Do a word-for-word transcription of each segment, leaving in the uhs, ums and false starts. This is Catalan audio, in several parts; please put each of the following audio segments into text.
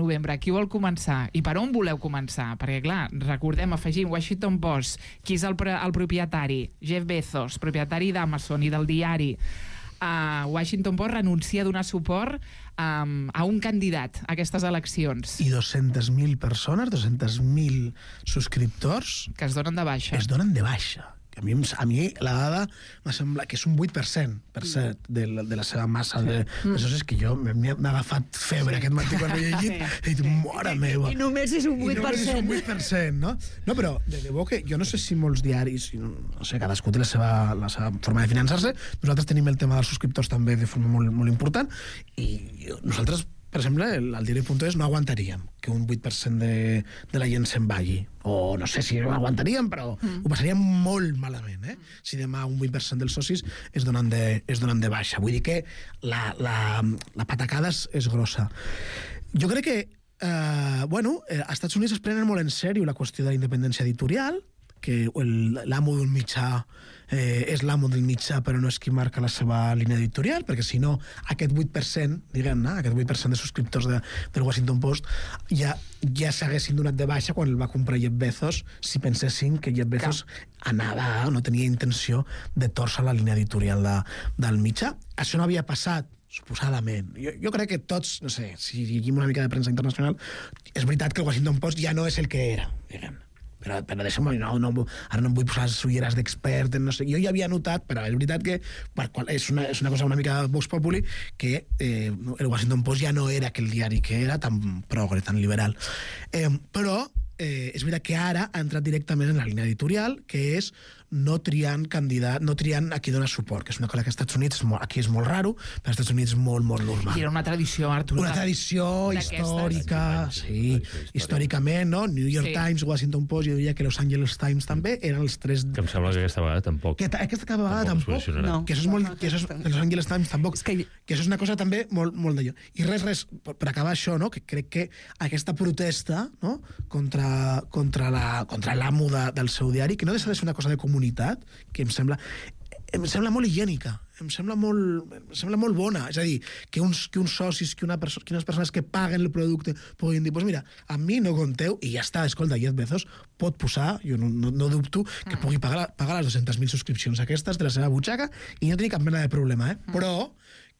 novembre. Qui vol començar? I per on voleu començar? Perquè, clar, recordem, afegim Washington Post, qui és el, el propietari? Jeff Bezos, propietari d'Amazon i del diari. Uh, Washington Post renuncia a donar suport um, a un candidat a aquestes eleccions. I dos-centes mil persones, dos-centes mil subscriptors... Que es donen de baixa. Es donen de baixa. A mi, a mi la dada m'ha semblat que és un vuit per cent, per cert, de la, de la seva massa de, de socis, que jo m'he agafat febre sí. aquest matí quan ho he llegit sí. i he dit, mare meva. I només és un vuit per cent. I només és un vuit per cent, no? No, però de debò que jo no sé si molts diaris, no sé, cadascú té la seva, la seva forma de finançar-se, nosaltres tenim el tema dels subscriptors també de forma molt, molt important, i nosaltres, per exemple, el, el diari punt es no aguantaríem que un vuit per cent de, de la gent se'n vagi. O no sé si ho aguantaríem, però mm. ho passaríem molt malament, eh? Si demà un vuit per cent dels socis es donen de, es donen de baixa. Vull dir que la, la, la patacada és, és grossa. Jo crec que eh, bueno, eh, als Estats Units es prenen molt en sèrio la qüestió de la independència editorial, que l'amo d'un mitjà eh, és l'amo del mitjà però no és qui marca la seva línia editorial, perquè si no aquest vuit per cent, diguem-ne, aquest vuit per cent de subscriptors de, del Washington Post ja, ja s'haguessin donat de baixa quan el va comprar Jeff Bezos, si pensessin que Jeff Bezos anava, no tenia intenció de torçar la línia editorial de, del mitjà. Això no havia passat suposadament. Jo, jo crec que tots, no sé, si llegim una mica de premsa internacional, és veritat que el Washington Post ja no és el que era, diguem-ne. Però, però deixa'm, no, no, ara no em vull posar les ulleres d'expert, no sé, jo ja havia notat, però és veritat que per qual, és, una, és una cosa una mica Vox Populi, que eh, el Washington Post ja no era aquell diari que era, tan progre, tan liberal. Eh, però eh, és veritat que ara ha entrat directament en la línia editorial, que és no triant candidat, no triant a qui dona suport, que és una cosa que als Estats Units molt, aquí és molt raro, però als Estats Units molt, molt normal. I era una tradició, Artur. Una tradició històrica, sí, històricament, no? New York sí. Times, Washington Post, jo diria que Los Angeles Times també eren els tres... Que em sembla que aquesta vegada tampoc. Que aquesta vegada tampoc, tampoc no. Que això és molt... Que això és, Los Angeles Times tampoc. És que... que això és una cosa també molt, molt d'allò. I res, res, per, per acabar això, no? Que crec que aquesta protesta, no? Contra, contra la, contra l'amo de, del seu diari, que no deixa de ser una cosa de comunitat, que em sembla em sembla molt higiènica, em sembla molt, em sembla molt bona, és a dir, que uns, que uns socis, que, una perso que unes persones que paguen el producte puguin dir, pues mira, a mi no compteu, i ja està, escolta, Jeff Bezos pot posar, jo no, no, no dubto que pugui pagar, pagar les dues-centes mil subscripcions aquestes de la seva butxaca i no tenir cap mena de problema, eh? Però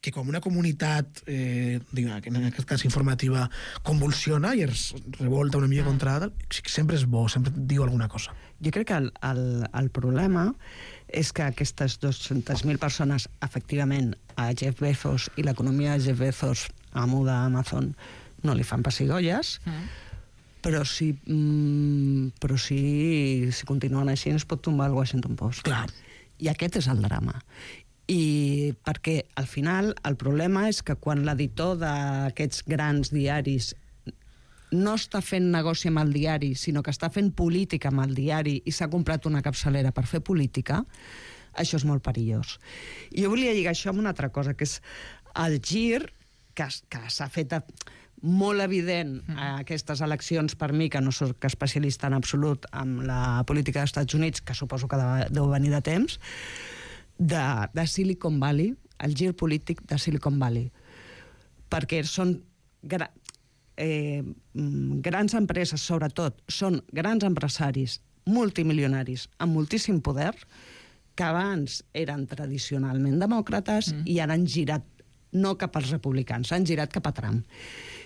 que com una comunitat, eh, en aquest cas informativa, convulsiona i es revolta una mica contra tal, sempre és bo, sempre diu alguna cosa. Jo crec que el, el, el problema és que aquestes dues-centes mil persones, efectivament, a Jeff Bezos i l'economia de Jeff Bezos, amo d'Amazon, no li fan pessigolles, mm. però si, mm, però si, si continuen així ens pot tombar el Washington Post. Clar. I aquest és el drama. I perquè al final el problema és que quan l'editor d'aquests grans diaris no està fent negoci amb el diari, sinó que està fent política amb el diari i s'ha comprat una capçalera per fer política, això és molt perillós. I jo volia lligar això amb una altra cosa, que és el gir que, que s'ha fet a, molt evident a aquestes eleccions, per mi, que no soc especialista en absolut amb la política dels Estats Units, que suposo que deu venir de temps, De, de Silicon Valley, el gir polític de Silicon Valley, perquè són gra, eh, grans empreses, sobretot, són grans empresaris multimilionaris amb moltíssim poder, que abans eren tradicionalment demòcrates mm. i ara han girat no cap als republicans, han girat cap a Trump.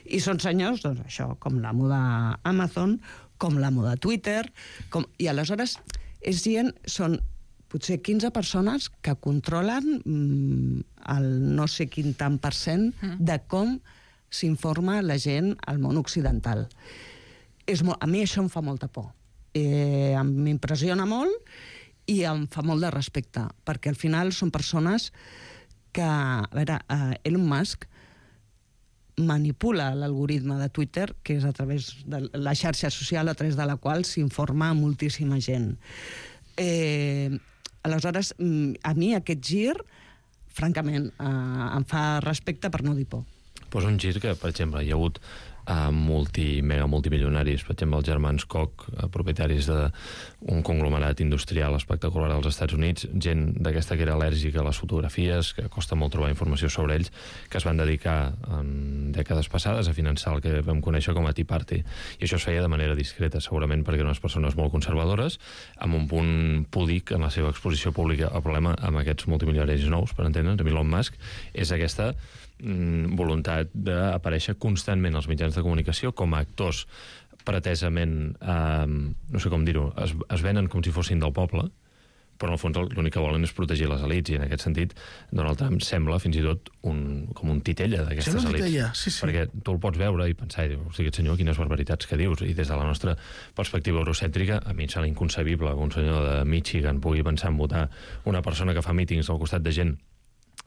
I són senyors, doncs això, com l'amo d'Amazon, com l'amo de Twitter, com... i aleshores és gent, són potser quinze persones que controlen mm, el no sé quin tant per cent de com s'informa la gent al món occidental. És molt, a mi això em fa molta por. Eh, m'impressiona molt i em fa molt de respecte, perquè al final són persones que, a veure, eh, Elon Musk manipula l'algoritme de Twitter, que és a través de la xarxa social a través de la qual s'informa moltíssima gent. Eh, aleshores, a mi aquest gir, francament, eh, em fa respecte per no dir por. Pues un gir que, per exemple, hi ha hagut a multi, mega multimilionaris, per exemple, els germans Koch, propietaris d'un conglomerat industrial espectacular als Estats Units, gent d'aquesta que era al·lèrgica a les fotografies, que costa molt trobar informació sobre ells, que es van dedicar en dècades passades a finançar el que vam conèixer com a Tea Party. I això es feia de manera discreta, segurament perquè eren unes persones molt conservadores, amb un punt púdic en la seva exposició pública. El problema amb aquests multimilionaris nous, per entendre'ns, amb Elon Musk, és aquesta voluntat d'aparèixer constantment als mitjans de comunicació com a actors pretesament, eh, no sé com dir-ho, es, es venen com si fossin del poble, però en el fons l'únic que volen és protegir les elits, i en aquest sentit Donald Trump sembla fins i tot un, com un titella d'aquestes elits. Titella, sí, sí. Perquè tu el pots veure i pensar, i dius, hosti, aquest senyor, quines barbaritats que dius, i des de la nostra perspectiva eurocèntrica, a mi em sembla inconcebible que un senyor de Michigan pugui pensar en votar una persona que fa mítings al costat de gent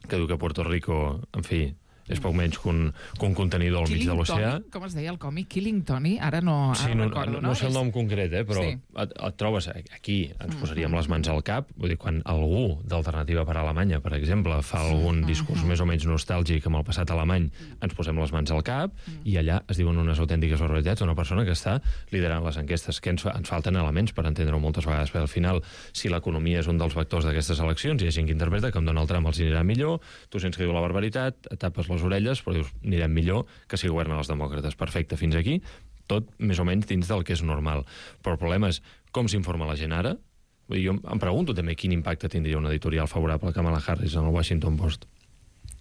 que diu que Puerto Rico, en fi, és poc menys que un, que un contenidor al mig de l'oceà. Com es deia el còmic? Killing Tony? Ara no, ara sí, no, recordo, no? No, no sé el nom concret, eh, però sí. et, et trobes aquí, ens posaríem les mans al cap, vull dir, quan algú d'Alternativa per Alemanya, per exemple, fa algun discurs més o menys nostàlgic amb el passat alemany, ens posem les mans al cap i allà es diuen unes autèntiques barbaritats d'una persona que està liderant les enquestes, que ens, fa, ens falten elements per entendre-ho moltes vegades, perquè al final, si l'economia és un dels vectors d'aquestes eleccions, hi ha gent que interpreta que amb Donald Trump els anirà millor, tu sents que diu la barbaritat, et tapes les orelles, però dius, anirem millor que si governen els demòcrates. Perfecte, fins aquí, tot més o menys dins del que és normal. Però el problema és com s'informa la gent ara. Vull dir, jo em pregunto també quin impacte tindria un editorial favorable a Kamala Harris en el Washington Post.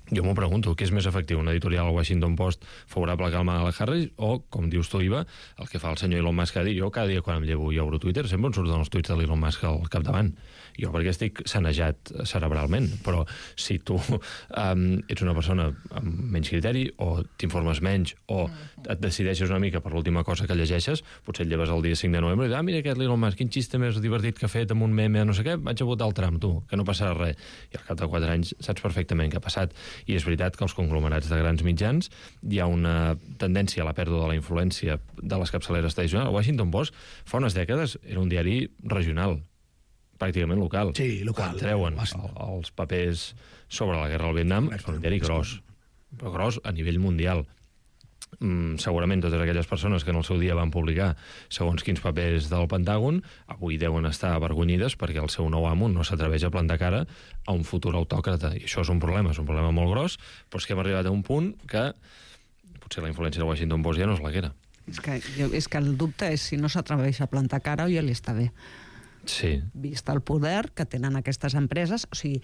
Jo m'ho pregunto, què és més efectiu, un editorial al Washington Post favorable a Kamala Harris o, com dius tu, Iva, el que fa el senyor Elon Musk cada dia? Jo cada dia quan em llevo i obro Twitter sempre em surten els tuits de l'Elon Musk al capdavant. Jo perquè estic sanejat cerebralment, però si tu um, ets una persona amb menys criteri o t'informes menys o et decideixes una mica per l'última cosa que llegeixes, potser et lleves el dia cinc de novembre i dius, ah, mira aquest l'Elon Musk, quin xiste més divertit que ha fet amb un meme, no sé què, vaig a votar el Trump, tu, que no passarà res. I al cap de quatre anys saps perfectament què ha passat. I és veritat que els conglomerats de grans mitjans hi ha una tendència a la pèrdua de la influència de les capçaleres tradicionals. El Washington Post fa unes dècades era un diari regional, pràcticament local. Sí, local. Quan treuen el, els papers sobre la guerra al Vietnam, és un diari gros, però gros a nivell mundial. Mm, segurament totes aquelles persones que en el seu dia van publicar segons quins papers del Pentàgon avui deuen estar avergonyides perquè el seu nou amo no s'atreveix a plantar cara a un futur autòcrata, i això és un problema, és un problema molt gros, però és que hem arribat a un punt que potser la influència del Washington Post ja no és la que era. És que, jo, és que el dubte és si no s'atreveix a plantar cara o ja li està bé. Sí. Vist el poder que tenen aquestes empreses, o sigui,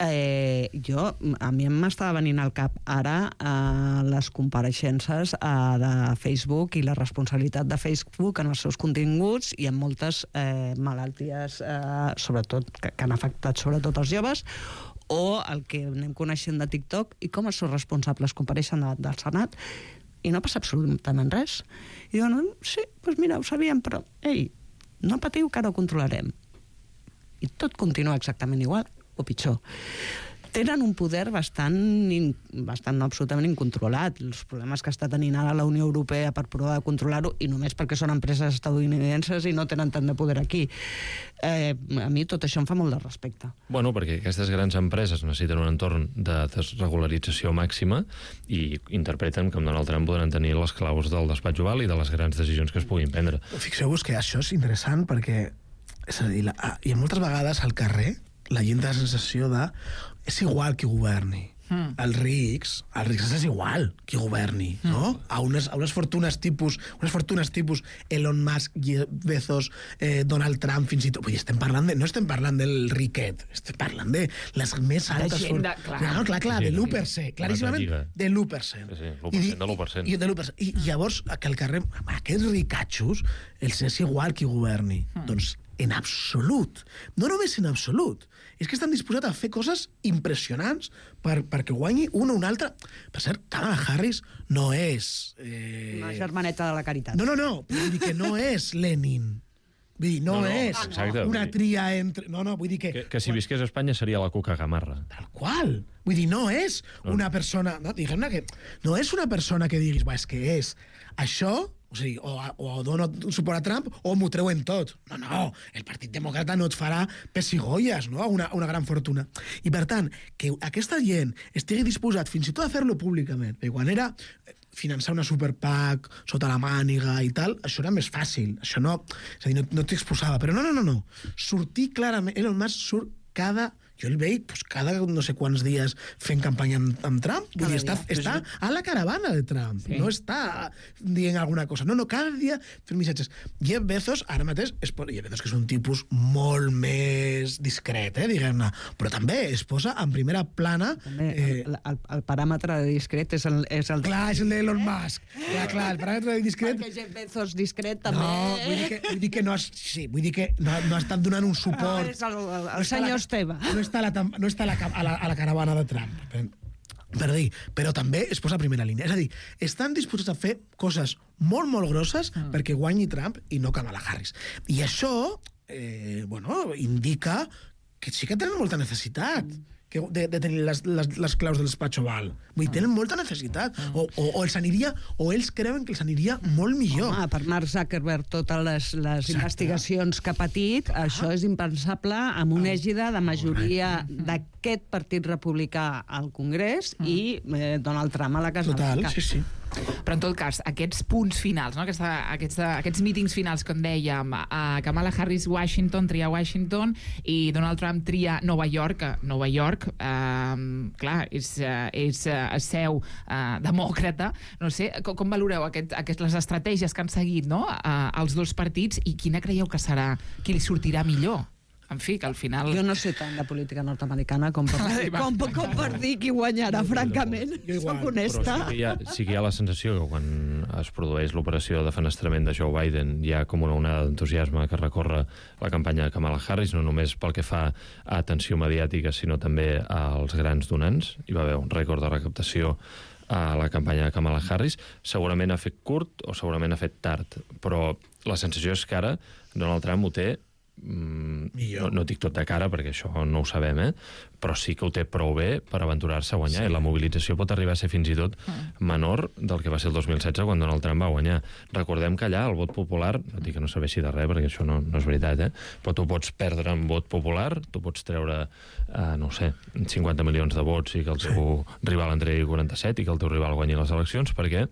eh, jo, a mi m'estava venint al cap ara eh, les compareixences eh, de Facebook i la responsabilitat de Facebook en els seus continguts i en moltes eh, malalties, eh, sobretot, que, que han afectat sobretot els joves, o el que anem coneixent de TikTok, i com els seus responsables compareixen davant del Senat i no passa absolutament res. I diuen, sí, doncs mira, ho sabíem, però, ei, no patiu, que ara ho controlarem. I tot continua exactament igual, o pitjor. Tenen un poder bastant, in, bastant no, absolutament incontrolat. Els problemes que està tenint ara la Unió Europea per provar de controlar-ho, i només perquè són empreses estadounidenses i no tenen tant de poder aquí. Eh, a mi tot això em fa molt de respecte. Bueno, perquè aquestes grans empreses necessiten un entorn de desregularització màxima i interpreten que amb Donald Trump podran tenir les claus del despatx oval i de les grans decisions que es puguin prendre. Fixeu-vos que això és interessant perquè, és a dir, la, hi ha moltes vegades al carrer la gent té la sensació de és igual qui governi. Mm. Els rics, els rics és igual qui governi, mm. no? A unes, a unes fortunes tipus, unes fortunes tipus Elon Musk, Jeff Bezos, eh, Donald Trump, fins i tot. Vull dir, estem parlant de, no estem parlant del riquet, estem parlant de les més altes... De gent de... Clar, no, clar, clar, sí, de l'u per cent, claríssimament de l'u per cent. Sí, sí, l'u per cent de l'u per cent. I, i, de l'u per cent. I llavors, que al carrer, aquests ricatxos, els és igual qui governi. Mm. Doncs en absolut. No només en absolut. És que estan disposats a fer coses impressionants per, perquè guanyi una o una altra. Per cert, Kamala Harris no és... Eh... Una germaneta de la caritat. No, no, no. Vull dir que no és Lenin. Vull dir, no, no, no és exacte, una dir... tria entre... No, no, vull dir que... Que, que si visqués a Espanya seria la Cuca Gamarra. Tal qual. Vull dir, no és una persona... No, diguem-ne que... No és una persona que diguis, és que és això... O sigui, o, o dono suport a Trump o m'ho treuen tot. No, no, el Partit Demòcrata no et farà pessigolles, no?, una, una gran fortuna. I, per tant, que aquesta gent estigui disposat fins i tot a fer-lo públicament. Perquè quan era... finançar una super PAC sota la màniga i tal, això era més fàcil. Això no, és a dir, no, no t'exposava. Però no, no, no, no. Sortir clarament... Elon Musk surt cada... Jo el veig pues, cada no sé quants dies fent campanya amb, amb Trump. Vull dir, està, està a la caravana de Trump. Sí. No està dient alguna cosa. No, no, cada dia fent missatges. Jeff Bezos, ara mateix, es posa, Jeff Bezos, que és un tipus molt més discret, eh, diguem-ne, però també es posa en primera plana... També, eh, el, el, el paràmetre de discret és el... És el clar, és el d'Elon Musk. Clar, clar, el paràmetre de discret... Perquè Jeff Bezos discret també... No, vull dir que, vull dir que no has... Sí, vull dir que no, no ha estat donant un suport... No, és el, el, el senyor Esteve. No està, a la, no està a, la, a, la, a la caravana de Trump, per, per dir, però també es posa a primera línia. És a dir, estan disposats a fer coses molt, molt grosses mm. perquè guanyi Trump i no Kamala Harris. I això, eh, bueno, indica que sí que tenen molta necessitat. Mm. Que de, de tenir les, les, les claus de l'espatx oval. Vull dir, tenen molta necessitat. O, o, o els aniria, o ells creuen que els aniria molt millor. Home, per Mark Zuckerberg, totes les, les investigacions que ha patit, ah. això és impensable amb una ègida de majoria d'aquest partit republicà al Congrés mm. i eh, Donald Trump a la Casa Total, Blanca. sí, sí. Però en tot cas, aquests punts finals, no? Aquesta, aquests, aquests mítings finals, com dèiem, a Kamala Harris Washington, tria Washington, i Donald Trump tria Nova York. Nova York, eh, clar, és, és seu eh, demòcrata. No sé, com, com valoreu aquest, aquest, les estratègies que han seguit, no? eh, els dos partits, i quina creieu que serà, qui li sortirà millor? En fi, que al final... Jo no sé tant de política nord-americana com per, com, com per dir qui guanyarà, francament. Soc honesta. Però sí que, hi ha, sí que hi ha la sensació que quan es produeix l'operació de fenestrament de Joe Biden hi ha com una onada d'entusiasme que recorre la campanya de Kamala Harris, no només pel que fa a atenció mediàtica, sinó també als grans donants. Hi va haver un rècord de recaptació a la campanya de Kamala Harris. Segurament ha fet curt o segurament ha fet tard, però la sensació és que ara Donald Trump ho té Mm, no, no dic tot de cara perquè això no ho sabem, eh? Però sí que ho té prou bé per aventurar-se a guanyar, sí. I la mobilització pot arribar a ser fins i tot menor del que va ser el dos mil setze quan Donald Trump va guanyar. Recordem que allà el vot popular, no dic que no serveixi de res perquè això no, no és veritat, eh? Però tu pots perdre en vot popular, tu pots treure eh, no sé, cinquanta milions de vots i que el teu sí. rival en tregui quaranta-set i que el teu rival guanyi les eleccions, perquè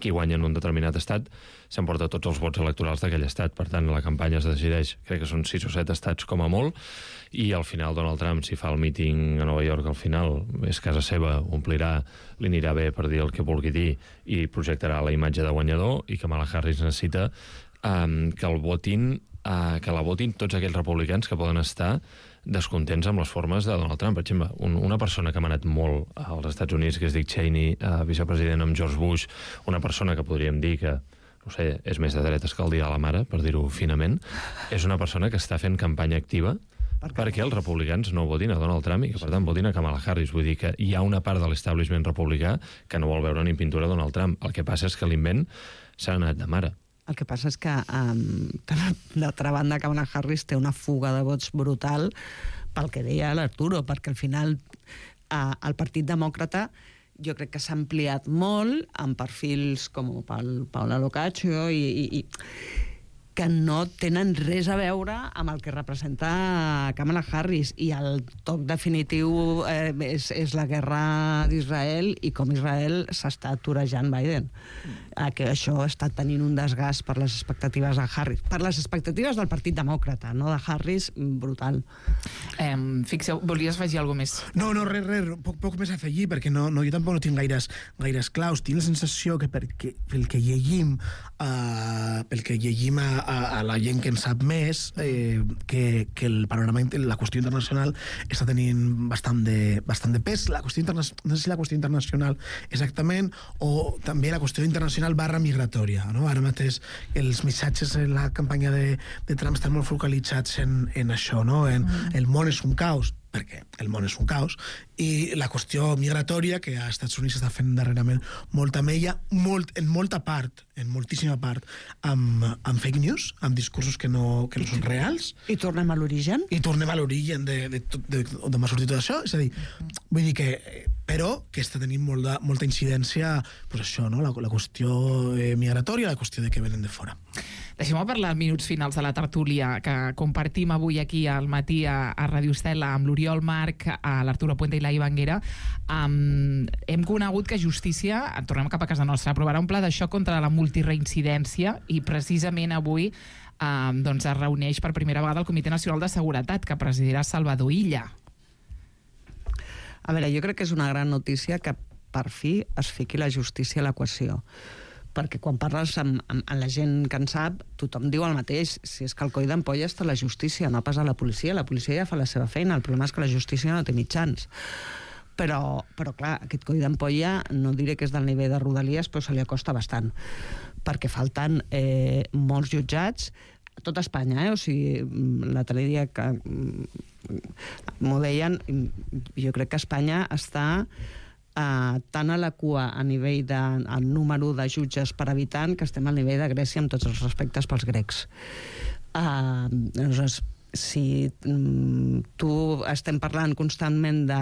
qui guanya en un determinat estat s'emporta tots els vots electorals d'aquell estat. Per tant, la campanya es decideix, crec que són sis o set estats com a molt, i al final Donald Trump, si fa el míting a Nova York, al final és casa seva, omplirà, li anirà bé per dir el que vulgui dir i projectarà la imatge de guanyador, i Kamala Harris necessita um, que el votin, uh, que la votin tots aquells republicans que poden estar descontents amb les formes de Donald Trump. Per exemple, un, una persona que ha manat molt als Estats Units, que és Dick Cheney, eh, vicepresident amb George Bush, una persona que podríem dir que, no sé, és més de dretes que el dia de la mare, per dir-ho finament, és una persona que està fent campanya activa per perquè els republicans no votin a Donald Trump i que, per tant, votin a Kamala Harris. Vull dir que hi ha una part de l'establishment republicà que no vol veure ni pintura a Donald Trump. El que passa és que l'invent s'ha anat de mare. El que passa és que, um, per l'altra banda, Kamala Harris té una fuga de vots brutal pel que deia l'Arturo, perquè al final uh, el Partit Demòcrata jo crec que s'ha ampliat molt amb perfils com el Paula Locaccio i, i, i que no tenen res a veure amb el que representa Kamala Harris, i el toc definitiu eh, és, és la guerra d'Israel i com Israel s'està aturejant Biden. Eh, que això està tenint un desgast per les expectatives de Harris, per les expectatives del Partit Demòcrata, no de Harris, brutal. Eh, fixeu, volies afegir alguna més? No, no, res, res, poc, poc més a afegir, perquè no, no, jo tampoc no tinc gaires, gaires claus. Tinc la sensació que perquè, pel que llegim, uh, pel que llegim a, a, a la gent que en sap més, eh, que, que el panorama, la qüestió internacional està tenint bastant de, bastant de pes. La qüestió interna... no sé si la qüestió internacional exactament, o també la qüestió internacional barra migratòria, no? Ara mateix els missatges en la campanya de, de Trump estan molt focalitzats en, en això, no? En, mm. El món és un caos, perquè el món és un caos, i la qüestió migratòria, que als Estats Units està fent darrerament molta mella, molt, en molta part, en moltíssima part, amb, amb fake news, amb discursos que no, que no són reals. I tornem a l'origen. I tornem a l'origen de, de, de, de, d'on va sortir tot això. És a dir, vull dir que... però que està tenint molta, molta incidència, pues això, no? la, la qüestió eh, migratòria, la qüestió de que venen de fora. Deixem-me parlar minuts finals de la tertúlia que compartim avui aquí al matí a, a Radio Estela amb l'Oriol Marc, a l'Arturo Puente i la Ivanguera. Um, hem conegut que Justícia, tornem cap a casa nostra, aprovarà un pla de xoc contra la multireincidència i precisament avui um, doncs es reuneix per primera vegada el Comitè Nacional de Seguretat que presidirà Salvador Illa. A veure, jo crec que és una gran notícia que per fi es fiqui la justícia a l'equació. Perquè quan parles amb, amb, amb la gent que en sap, tothom diu el mateix. Si és que el coll d'ampolla està a la justícia, no pas a la policia. La policia ja fa la seva feina, el problema és que la justícia no té mitjans. Però, però clar, aquest coll d'ampolla no diré que és del nivell de Rodalies, però se li acosta bastant. Perquè falten eh, molts jutjats a tot Espanya, eh? O sigui, l'altre dia que m'ho deien, jo crec que Espanya està Uh, tant a la cua a nivell de el número de jutges per habitant que estem al nivell de Grècia amb tots els respectes pels grecs. Uh, aleshores, si um, tu estem parlant constantment de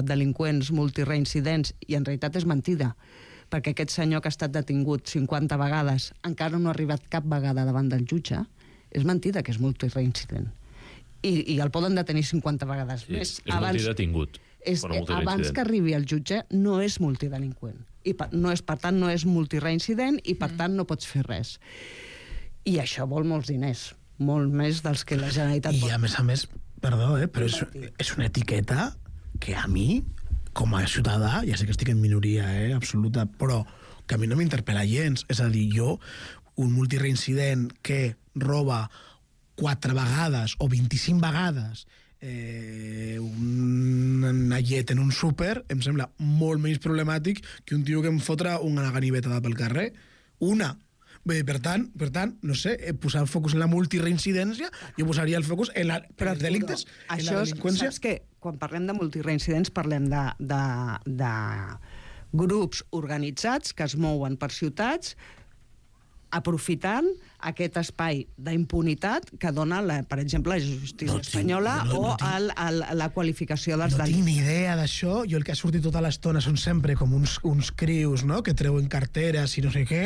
delinqüents multireincidents i en realitat és mentida, perquè aquest senyor que ha estat detingut cinquanta vegades encara no ha arribat cap vegada davant del jutge, és mentida que és multireincident. I, i el poden detenir cinquanta vegades sí, més. És abans... multidetingut. És, abans que arribi al jutge no és multidelinqüent i per, no és, per tant no és multireincident i per mm. tant no pots fer res, i això vol molts diners, molt més dels que la Generalitat i pot. a més a més, perdó, eh, però és, és una etiqueta que a mi com a ciutadà, ja sé que estic en minoria eh, absoluta, però que a mi no m'interpel·la gens, és a dir, jo un multireincident que roba quatre vegades o vint-i-cinc vegades Eh, una llet en un súper em sembla molt menys problemàtic que un tio que em fotra una ganivetada pel carrer. Una. Bé, per tant, per tant, no sé, posar el focus en la multireincidència, jo posaria el focus en, la, en els delictes, no, en la delinqüència. Saps que quan parlem de multireincidents parlem de, de, de grups organitzats que es mouen per ciutats aprofitant aquest espai d'impunitat que dona, la, per exemple, la justícia no, espanyola no, no, no, o tinc, el, el, la qualificació dels no delictes. No tinc ni idea d'això. Jo el que ha sortit tota l'estona són sempre com uns, uns crius, no?, que treuen carteres i no sé què,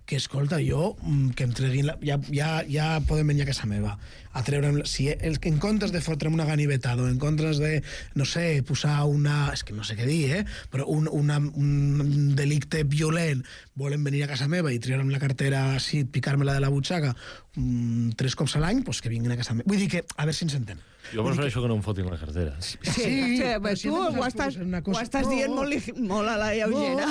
que, escolta, jo, que em treguin... La, ja, ja, ja podem venir a casa meva a treure'm... Si el, en comptes de fotre'm una ganivetada o en comptes de, no sé, posar una... És que no sé què dir, eh? Però un, una, un delicte violent volen venir a casa meva i treure'm la cartera així, picar-me-la de la butxaca um, tres cops a l'any, doncs que vinguin a casa meva. Vull dir que, a veure si ens entenem. Jo prefereixo que no em fotin la cartera. Sí, sí, sí, però si tu ho estàs, ho estàs dient no, molt, molt a la lleugera.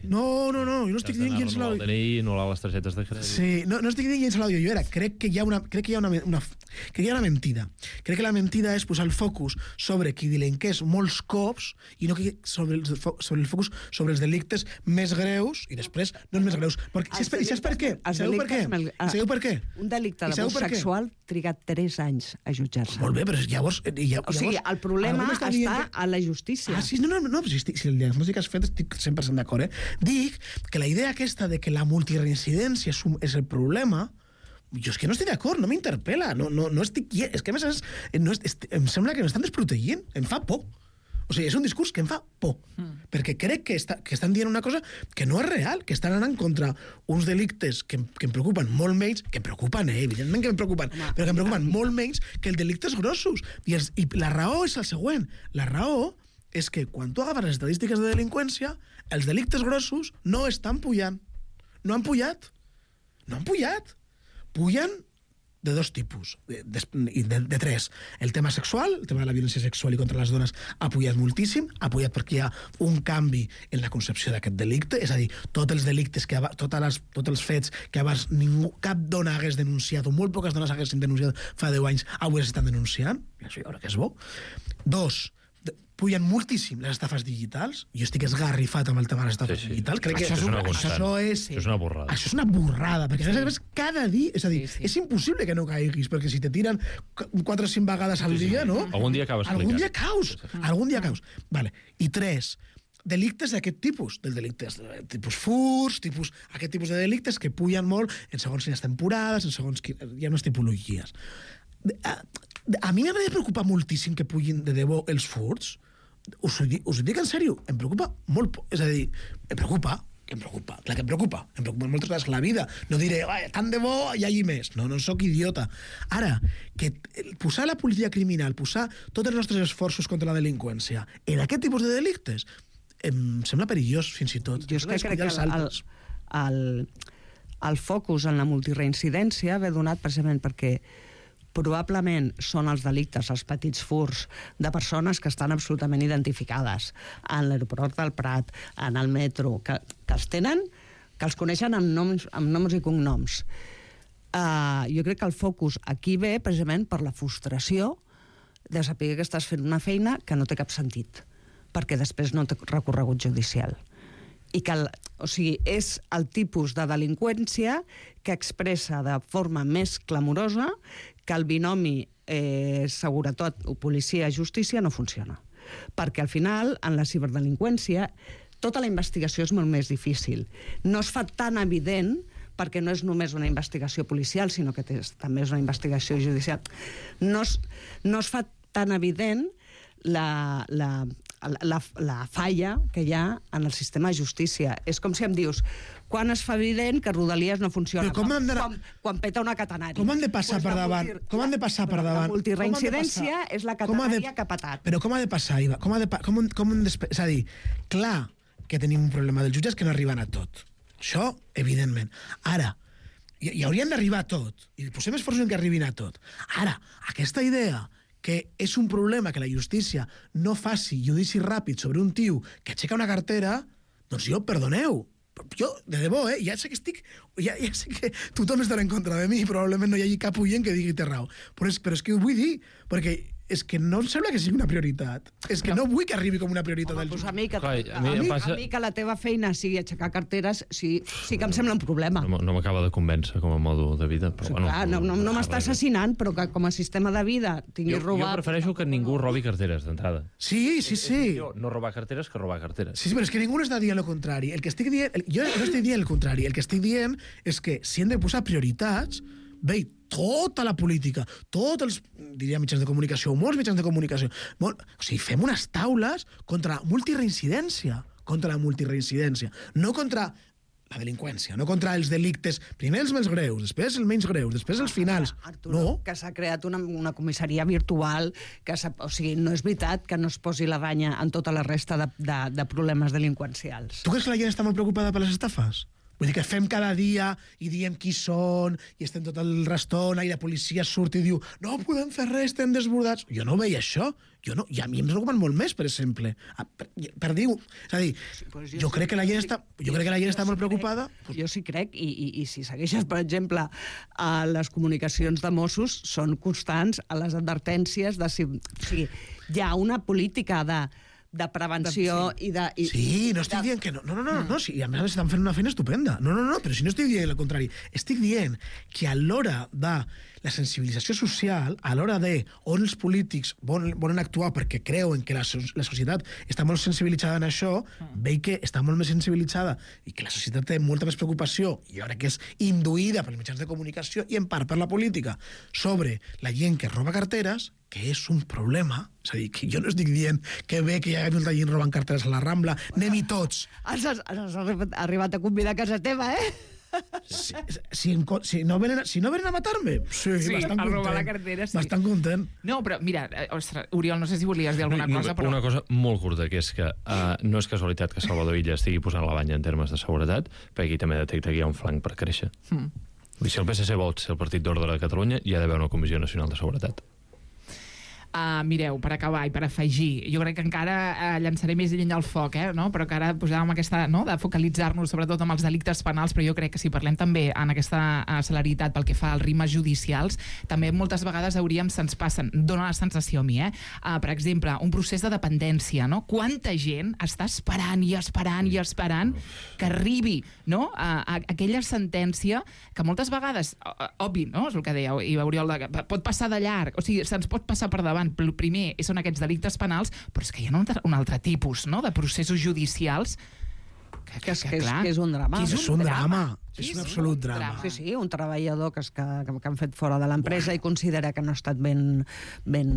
No, no, no, no, jo no estic dient gens a l'àudio. No les targetes de crèdit. Sí, no, no estic dient gens a l'àudio. Jo era, crec que hi ha una, crec que hi ha una, una, crec que hi ha una mentida. Crec que la mentida és posar el focus sobre qui delinqués molts cops i no sobre el, sobre el focus sobre els delictes més greus i després no els més greus. Perquè, si és, i saps per què? Sabeu per què? Sabeu per què? Un delicte d'abús sexual triga tres anys a jutjar-se. Molt bé, però llavors... llavors o sigui, el problema està que... a la justícia. Ah, sí, no, no, no, si, estic, si el diagnòstic has fet estic cent per cent d'acord, eh? Dic que la idea aquesta de que la multireincidència és, un, és el problema, jo és que no estic d'acord, no m'interpel·la, no, no, no estic... És que a més és, no és, em sembla que m'estan desprotegint, em fa por. O sigui, és un discurs que em fa por, mm. perquè crec que, està, que estan dient una cosa que no és real, que estan anant contra uns delictes que, que em preocupen molt menys, que em preocupen, eh, evidentment que em preocupen, Home, però que em preocupen molt menys que els delictes grossos. I, els, I la raó és el següent. La raó és que quan tu agafes les estadístiques de delinqüència, els delictes grossos no estan pujant. No han pujat. No han pujat. Pugen de dos tipus, de, de, de, de tres. El tema sexual, el tema de la violència sexual i contra les dones ha pujat moltíssim, ha pujat perquè hi ha un canvi en la concepció d'aquest delicte, és a dir, tots els delictes, que totes les, tots els fets que abans ningú, cap dona hagués denunciat, o molt poques dones haguessin denunciat fa deu anys, avui s'estan denunciant, i això jo crec que és bo. Dos, pugen moltíssim les estafes digitals. Jo estic esgarrifat amb el tema de les estafes sí, sí. digitals. Crec això, que és una això, això, és, això és una borrada. Això és una borrada, perquè sí. a més cada dia... És a dir, sí, sí. és impossible que no caiguis, perquè si te tiren quatre o cinc vegades al sí, dia, sí. no? Algun dia acabes Algun dia caus. Sí. Algun dia caus. Vale. I tres, delictes d'aquest tipus, dels delictes de tipus furs, tipus, aquest tipus de delictes que pugen molt en segons quines temporades, en segons quines... Hi ha unes tipologies. A, a mi m'ha de preocupar moltíssim que pugin de debò els furts. Us ho, dic, us ho dic en sèrio, em preocupa molt, és a dir, em preocupa, que em preocupa, clar que em preocupa, em preocupa moltes vegades la vida. No diré, tant de bo hi hagi més. No, no sóc idiota. Ara, que posar la política criminal, posar tots els nostres esforços contra la delinqüència en aquest tipus de delictes, em sembla perillós, fins i tot. Jo és que crec que el, el, el, el focus en la multireincidència ve donat precisament perquè probablement són els delictes, els petits furts de persones que estan absolutament identificades en l'aeroport del Prat, en el metro, que, que els tenen, que els coneixen amb noms, amb noms i cognoms. Uh, jo crec que el focus aquí ve precisament per la frustració de saber que estàs fent una feina que no té cap sentit, perquè després no té recorregut judicial. I que el, o sigui, és el tipus de delinqüència que expressa de forma més clamorosa que el binomi eh, seguretat o policia-justícia no funciona. Perquè al final, en la ciberdelinqüència, tota la investigació és molt més difícil. No es fa tan evident perquè no és només una investigació policial, sinó que té, també és una investigació judicial. No es, no es fa tan evident la, la, la, la falla que hi ha en el sistema de justícia. És com si em dius, quan es fa evident que Rodalies no funciona? Quan, quan, quan peta una catenària. Com han de passar pues per davant? Multi... Com han de passar per davant? La multireincidència és la catenària de... que ha patat. Però com ha de passar, Iva? Com ha de, com, com de... És a dir, clar que tenim un problema dels jutges que no arriben a tot. Això, evidentment. Ara, hi, hi haurien d'arribar a tot. I posem esforços en que arribin a tot. Ara, aquesta idea que és un problema que la justícia no faci judici ràpid sobre un tio que aixeca una cartera, doncs jo, perdoneu, jo, de debò, eh, ja sé que estic... Ja, ja sé que tothom estarà en contra de mi i probablement no hi hagi cap oient que digui té raó. Però és, però és que ho vull dir, perquè és que no em sembla que sigui una prioritat. És que no vull que arribi com una prioritat. Home, del doncs a mi, que, Clar, a, a mi a, mi, passa- a mi que la teva feina sigui aixecar carteres, sí, sí que em sembla un problema. No, no m'acaba de convèncer com a modo de vida. Però, bueno, Clar, no, no, no m'està assassinant, però que com a sistema de vida tinguis Jo, jo robat... prefereixo que ningú robi carteres d'entrada. Sí, sí, sí. Jo, no robar carteres que robar carteres. Sí, sí, però és que ningú no està dient el contrari. El que estic dient, el, jo no estic dient el contrari. El que estic dient és que si hem de posar prioritats, bé, tota la política, tots els, diria, mitjans de comunicació, molts mitjans de comunicació, molt, o sigui, fem unes taules contra la multireincidència, contra la multireincidència, no contra la delinqüència, no contra els delictes, primer els més greus, després els menys greus, després els finals. Arturo, No, que s'ha creat una, una comissaria virtual, que o sigui, no és veritat que no es posi la banya en tota la resta de, de, de problemes delinqüencials. tu creus que la gent està molt preocupada per les estafes? Vull dir que fem cada dia i diem qui són i estem tot el restona i la policia surt i diu no podem fer res, estem desbordats. Jo no veia això. Jo no, I a mi em preocupen molt més, per exemple. Ah, Per, per dir... És a dir, Sí, pues jo, jo crec que la gent està, jo crec que la gent està molt preocupada. Crec, jo sí crec, i, i, i si segueixes, per exemple, a les comunicacions de Mossos, són constants a les advertències de si... O sigui, hi ha una política de de prevenció i de... I, Sí, no estic dient que no. No, no, no, no, sí, a més a més estan fent una feina estupenda. No, no, no, però si no estic dient el contrari. Estic dient que a l'hora de la sensibilització social, a l'hora de on els polítics volen, volen actuar perquè creuen que la, so la societat està molt sensibilitzada en això, veig que està molt més sensibilitzada i que la societat té molta més preocupació, i jo crec que és induïda pels mitjans de comunicació i en part per la política, sobre la gent que roba carteres, que és un problema. És a dir, que jo no estic dient que bé que hi hagi molta gent robant carteres a la Rambla, anem-hi tots. Has, has, has arribat a convidar a casa teva, eh? Si, si, em co- si, no venen, a- si no venen a matar-me, sí, Sí, bastant a content. robar la cartera, sí. Bastant content. No, però mira, eh, ostres, Oriol, no sé si volies dir alguna No, cosa, però... Una cosa molt curta, que és que uh, no és casualitat que Salvador Illa estigui posant la banya en termes de seguretat, perquè aquí també detecta que hi ha un flanc per créixer. Mm. Vull dir, si el P S C vol ser el Partit d'Ordre de Catalunya, hi ha d'haver una Comissió Nacional de Seguretat. Uh, mireu, per acabar i per afegir, jo crec que encara uh, llançaré més llenya al foc, eh, no? Però que ara posàvem aquesta, no?, de focalitzar-nos sobretot amb els delictes penals, però jo crec que si parlem també en aquesta uh, celeritat pel que fa als rimes judicials, també moltes vegades hauríem, se'ns passen, dona la sensació a mi, eh? Uh, per exemple, un procés de dependència, no? Quanta gent està esperant i esperant i esperant que arribi, no?, a, a aquella sentència que moltes vegades, uh, obvi, no?, és el que deia i Oriol, de, pot passar de llarg, o sigui, se'ns pot passar per davant. El primer són aquests delictes penals, però és que hi ha un altre, un altre tipus, no?, de processos judicials que, Que és, que, és, que és un drama. Que És un drama. Sí, És un sí, absolut un drama. drama. Sí, sí, un treballador que, es, que, que, que han fet fora de l'empresa i considera que no ha estat ben, ben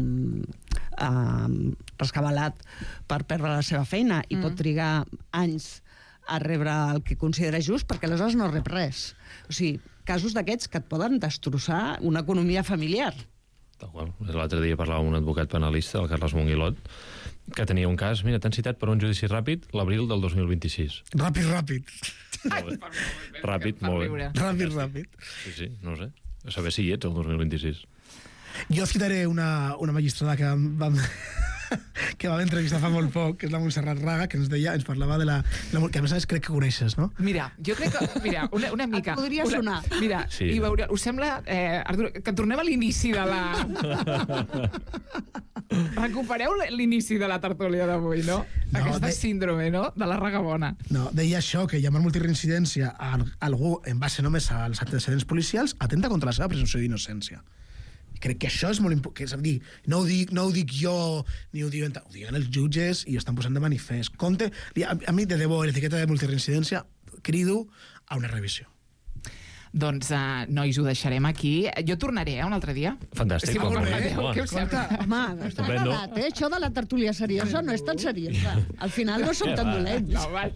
uh, rescabalat per perdre la seva feina i mm. pot trigar anys a rebre el que considera just, perquè aleshores no rep res. O sigui, casos d'aquests que et poden destrossar una economia familiar. Tal qual. L'altre dia parlava amb un advocat penalista, el Carles Monguilot, que tenia un cas, mira, t'han citat per un judici ràpid l'abril del dos mil vint-i-sis. Ràpid, ràpid. Molt bé. Ràpid, molt bé. Ràpid, ràpid. Sí, sí, no ho sé. A saber si hi ets el dos mil vint-i-sis. Jo citaré una, una magistrada que vam, que vam entrevistar fa molt poc, que és la Montserrat Raga, que ens deia, ens parlava de la... la que a més a més crec que coneixes, no? Mira, jo crec que... Mira, una, una mica... Et podria una, sonar. Mira, Sí. i veure, us sembla, eh, Artur, que tornem a l'inici de la... Recupereu l'inici de la tertúlia d'avui, no? No, Aquesta de- síndrome, no?, de la raga bona. No, deia això, que llamar multireincidència a algú en base només als antecedents policials atenta contra la seva presumpció d'innocència. I crec que això és molt important. És a dir, no ho dic, no ho dic jo, ni ho diuen, ho diuen els jutges i ho estan posant de manifest. Compte, a, a mi, de debò, l'etiqueta de multireincidència, crido a una revisió. Doncs, uh, nois, ho deixarem aquí. Jo tornaré, eh, un altre dia. Fantàstic. Si m'ho molt bé. permeteu, Home, què us sembla? Home, està Estupendo. agradat, eh? Això de la tertúlia seriosa no és tan seriosa. Al final no som tan dolents. No, va.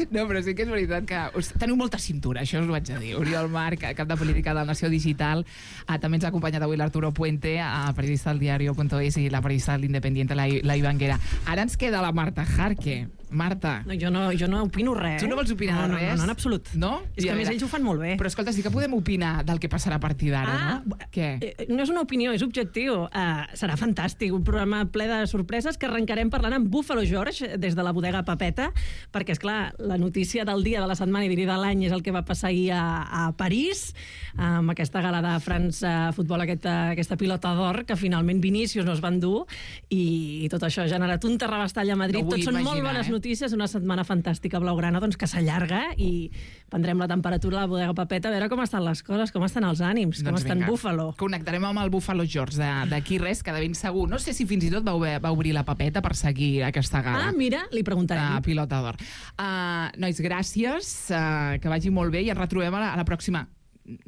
No, però sí que és veritat que us, teniu molta cintura, això us ho haig de dir. Oriol Marc, cap de política de la Nació Digital, eh, també ens ha acompanyat avui l'Arturo Puente, eh, periodista del diario punto es, i la periodista de l'Independiente, la, la Ivanguera. Ara ens queda la Marta Jarque. Marta, No, jo, no, jo no opino res. tu no vols opinar no, de res? No, no, en absolut. No? És I que a a més veure, ells ho fan molt bé. Però escolta, sí que podem opinar del que passarà a partir d'ara, Ah, no? Què? eh, no és una opinió, és objectiu. Uh, serà fantàstic, un programa ple de sorpreses que arrencarem parlant amb Buffalo George des de la bodega Papeta, perquè, és clar, la notícia del dia, de la setmana i diria de l'any és el que va passar ahir a, a París, amb aquesta gala de França Futbol, aquesta, aquesta pilota d'or, que finalment Vinícius no es van dur, i, i tot això ha generat un terrabastall a Madrid. No vull Tot són imaginar, molt bones eh? notícies, una setmana fantàstica blaugrana, doncs, que s'allarga i prendrem la temperatura a la bodega Papeta a veure com estan les coses, com estan els ànims, com Doncs està en vinga. Buffalo. Connectarem amb el Buffalo George de- d'aquí res, que de ben segur. No sé si fins i tot va, obrir- va obrir la papeta per seguir aquesta gala. Ah, mira, li preguntarem. Uh, pilota d'or. Uh, nois, gràcies, uh, que vagi molt bé i ens retrobem a la, a la pròxima.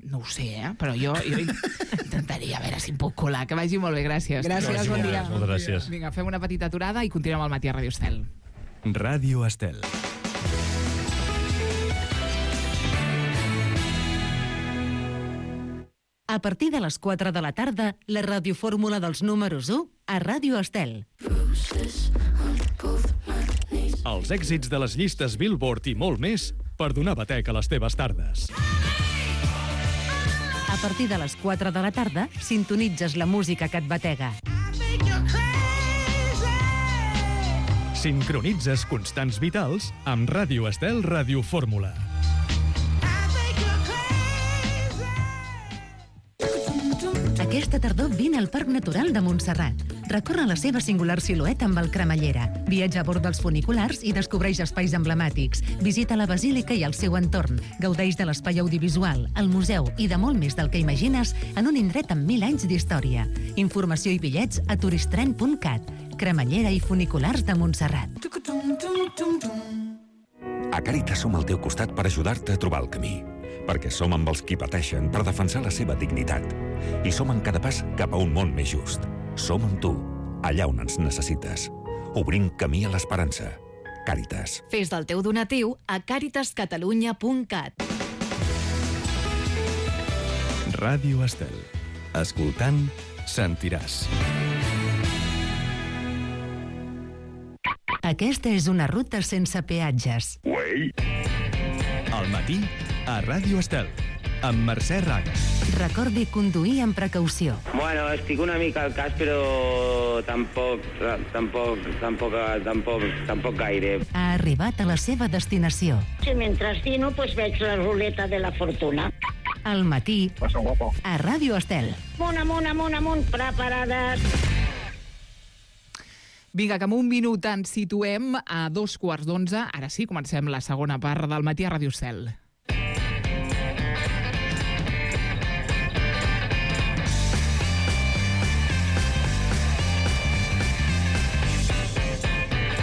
No ho sé, eh? Però jo, jo intentaria a veure si em puc colar. Que vagi molt bé, gràcies. Gràcies, bon dia. Moltes gràcies. Vinga, fem una petita aturada i continuem al matí a Ràdio Estel. Ràdio Estel. A partir de les quatre de la tarda, la radiofórmula dels números u a Ràdio Estel. Els èxits de les llistes Billboard i molt més per donar batec a les teves tardes. A partir de les quatre de la tarda, sintonitzes la música que et batega. Sincronitzes constants vitals amb Ràdio Estel Radiofórmula. Aquesta tardor vine al Parc Natural de Montserrat. Recorre la seva singular silueta amb el cremallera. Viatja a bord dels funiculars i descobreix espais emblemàtics. Visita la basílica i el seu entorn. Gaudeix de l'espai audiovisual, el museu i de molt més del que imagines en un indret amb mil anys d'història. Informació i bitllets a turistren punt cat. Cremallera i funiculars de Montserrat. A Càritas som al teu costat per ajudar-te a trobar el camí. Perquè som amb els qui pateixen per defensar la seva dignitat. I som en cada pas cap a un món més just. Som amb tu, allà on ens necessites. Obrint camí a l'esperança. Càritas. Fes del teu donatiu a càritas catalunya punt cat. Ràdio Estel. Escoltant, sentiràs. Aquesta és una ruta sense peatges. Al matí, a Ràdio Estel, amb Mercè Raga. Recordi conduir amb precaució. Bueno, estic una mica al cas, però tampoc, tampoc, tampoc, tampoc, tampoc gaire. Ha arribat a la seva destinació. Si mentre dino, pues veig la ruleta de la fortuna. Al matí, a Ràdio Estel. Amunt, amunt, amunt, amunt, preparades. Vinga, que en un minut ens situem a dos quarts d'onze. Ara sí, comencem la segona part del matí a Ràdio Estel.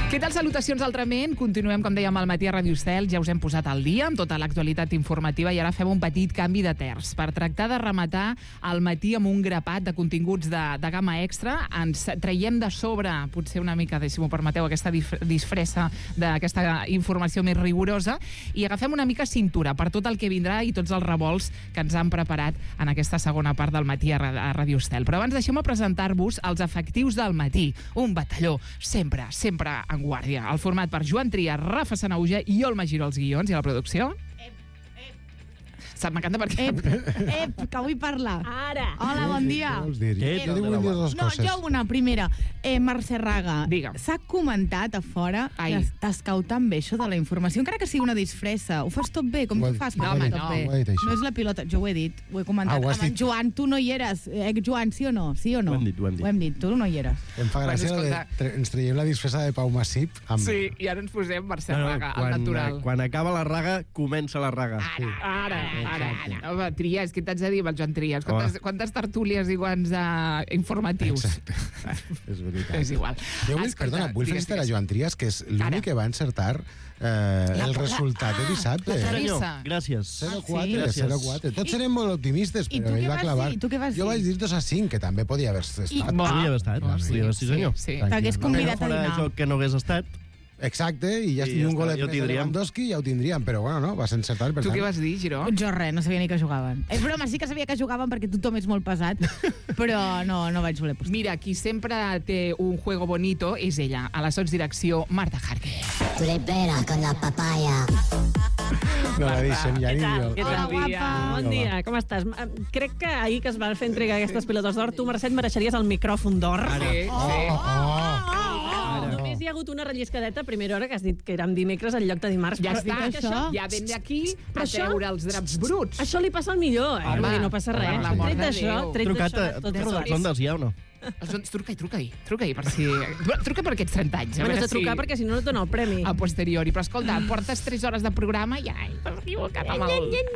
Què tal? tal, salutacions altrament. Continuem, com dèiem, al matí a Ràdio Estel. Ja us hem posat al dia amb tota l'actualitat informativa i ara fem un petit canvi de terç. Per tractar de rematar el matí amb un grapat de continguts de, de gamma extra, ens traiem de sobre, potser una mica, si m'ho permeteu, aquesta disfressa d'aquesta informació més rigorosa i agafem una mica cintura per tot el que vindrà i tots els revolts que ens han preparat en aquesta segona part del matí a Ràdio Estel. Però abans deixeu-me presentar-vos els efectius del matí. Un batalló sempre, sempre en guàrdia. El format per Joan Trias, Rafa Sanauja i Olma Giró als guions i a la producció. M'encanta perquè... Ep, ep, que vull parlar. Ara. Hola, bon dia. Què vols dir? Ep. Jo vull dir dues No, coses. jo una, primera. Eh, Mercè Raga, s'ha comentat a fora Ai. que t'escau tan bé això de la informació, encara que sigui una disfressa. Ho fas tot bé, com Ho tu he- fas? ho per he fer dit, tot no. bé. Ho he dit, això. No és la pilota, jo ho he dit, ho he comentat. Ah, ho has Amb en dit. Joan, tu no hi eres. Ex-Joan, sí o no? Sí o no? Ho hem dit, ho hem dit. Ho hem dit, tu no hi eres. Em fa gràcia Bueno, bueno, escolta. de, ens traiem la disfressa de Pau Massip. Amb... Sí, i ara ens posem Mercè No, no, Raga, al quan, natural. quan acaba la raga, comença la raga. Ara, ara, ara. Home, Trias, què t'haig de dir amb el Joan Trias? Quantes, quantes tertúlies i quants uh, informatius? Exacte. És veritat. És igual. Jo vull, Escolta, perdona, vull digues, felicitar a digues. Joan Trias, que és l'únic que va encertar eh, el resultat de dissabte. la Senyor, Teresa. gràcies. zero Ah, quatre, Gràcies. zero quatre. Tots serem molt optimistes, I però tu ell què va vas clavar. dir? Tu què vas Jo dir? vaig dir dos a cinc, que també podia haver estat. I- Podria haver estat, Ah, podria haver, sí, senyor. Sí, sí. T'hagués Tranquil, convidat a Fora de dinar. joc que no hagués estat. Exacte, i ja I estic ja un està, golet ja ho més de tindríem. Lewandowski, ja ho tindríem, però bueno, no, vas encertar, per Tu tant. què vas dir, Giró? Jo res, no sabia ni que jugaven. És broma, sí que sabia que jugaven perquè tothom és molt pesat, però no, no vaig voler posar. Mira, qui sempre té un juego bonito és ella, a la sotsdirecció Marta Jarque. Tu eres vera con la papaya. No la deixem ja Què ni tal? jo. Què Hola, tal? guapa. Bon dia, com estàs? Eh, Crec que ahir que es van fer entrega aquestes pilotes d'or, tu, Mercè, et mereixeries el micròfon d'or. Sí, sí. Només hi ha hagut una relliscadeta a primera hora que has dit que érem dimecres en lloc de dimarts. Ja però està, dic que això... ja vens aquí Però a això- treure els draps bruts. Això li passa al millor, eh? Home, Vull dir, no passa per res. l'amor Tret de d'això, Déu. tret Trucat d'això, a tot és tots guai. els ondes, ja o no? Doncs truca-hi, truca-hi, truca-hi per si... Truca per aquests trenta anys. a Bueno, veure has de trucar si- perquè si no no et dona el premi. a posteriori. Però escolta, portes tres hores de programa i ai, t'has equivocat amb el,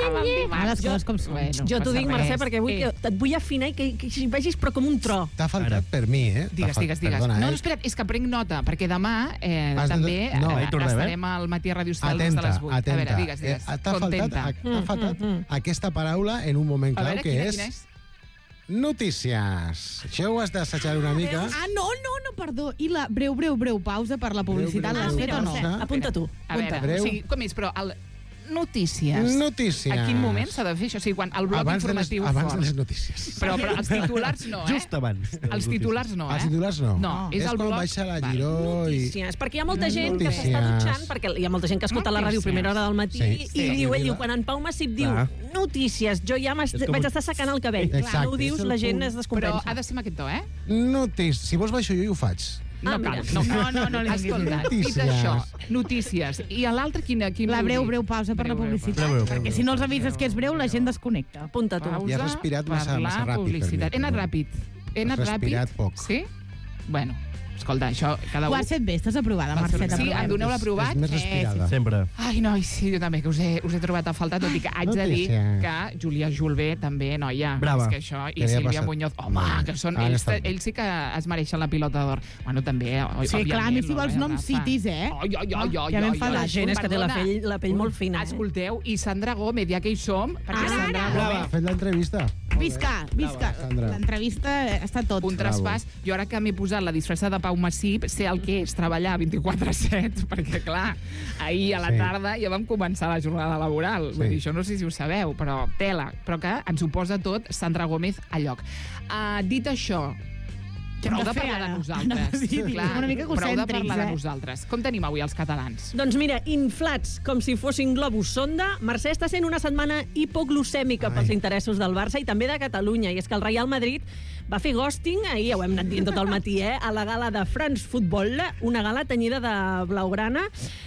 amb el dimarts. Ah, les coses com són. Bueno, Jo t'ho passa dic, res. Mercè, perquè vull, Eh, que et vull afinar i que, que hi vegis però com un tro. T'ha faltat per mi, eh? T'ha Digues, fal- digues, digues. Perdona, no, eh? no, espera't, és que prenc nota, perquè demà eh, Has de- també no, eh, ahí tornem, eh? estarem al matí a Ràdio Estel des de Atenta, les vuit. atenta. A veure, digues, digues. Eh, t'ha faltat, Contenta. ha, t'ha faltat aquesta paraula en un moment A clau, veure, que quina, és quina és? notícies. Això ho has d'assajar una mica. Ah, no, no, no, perdó. I la breu, breu, breu pausa per la publicitat breu, l'has breu fet o no? pausa. Apunta tu. A veure, Breu. o sigui, com és, però el... notícies. Notícies. A quin moment s'ha de fer això? O sigui, quan el bloc Abans de les, informatiu abans fort. de les notícies. Però, però els titulars no, eh? Just abans. Els titulars no, eh? Els titulars no. No, és, és el quan bloc... baixa la Giró i... Notícies, perquè hi ha molta gent que Notícies. s'està dutxant, perquè hi ha molta gent que escolta la ràdio a primera hora del matí Sí. i Sí. diu, ell diu, quan en Pau Massip diu Clar. notícies, jo ja m'est- És com- vaig estar secant el cabell. Exacte, Clar, no ho dius, és el la gent punt. es Però descompensa. ha de ser amb aquest to, eh? Notícies. Si vols baixo jo i ho faig. No Ah, cal, mira. no cal. No, no, no li diguis. Escolta, dit Notícies. això, notícies. I a l'altre, quina, quin La vol breu, dir? breu pausa per la Breu, breu, publicitat. Breu, breu, breu, Perquè si no els avises que és breu, la gent desconnecta. Apunta tu. Pausa I has respirat massa- per la massa ràpid per mi, publicitat. He anat perdó. ràpid. He anat Has respirat ràpid. poc. Sí? Bueno, escolta, això, cada Ho un... has fet bé, estàs aprovada, Va ser- Mercè. Sí, t'aprovem. em doneu l'aprovat? És més Eh, respirada. Sempre. Ai, nois, sí, jo també, que us he, us he trobat a faltar, tot i que haig de dir Notícies. que Júlia Julbé també, noia. Brava. És que això, i Què li ha Sílvia passat? Muñoz, home, que són, Han ells, estat bé. ells sí que es mereixen la pilota d'or. Bueno, també, o- Sí, òbviament. clar, a mi si no, vols eh, noms Rafa? citis, eh? Ai, ai, ai, ai, Ja ai, m'he ai, enfadat. La gent és que té la perdona. pell, la pell molt fina. Eh? Escolteu, i Sandra Gómez, ja que hi som, perquè Ara, Sandra ara. Gómez, Ha fet l'entrevista. Visca, visca. Sandra. L'entrevista està tot. un traspàs. Jo ara que m'he posat la disfressa de Pau Massip, sé el que és treballar vint-i-quatre set, perquè, clar, ahir a la Sí. tarda ja vam començar la jornada laboral. Sí. Vull dir, això no sé si ho sabeu, però tela. Però que ens ho posa tot Sandra Gómez a lloc. Uh, dit això, Què hem prou de de fer parlar de ara? nosaltres. Anava a dir, Clar, una mica prou de egocèntrics, parlar de eh? nosaltres. Com tenim avui els catalans? Doncs mira, inflats com si fossin globus sonda, Mercè està sent una setmana hipoglucèmica Ai. pels interessos del Barça i també de Catalunya. I és que el Real Madrid va fer ghosting, ahir ja ho hem anat dient tot el matí, eh, a la gala de France Football, una gala tenyida de blaugrana.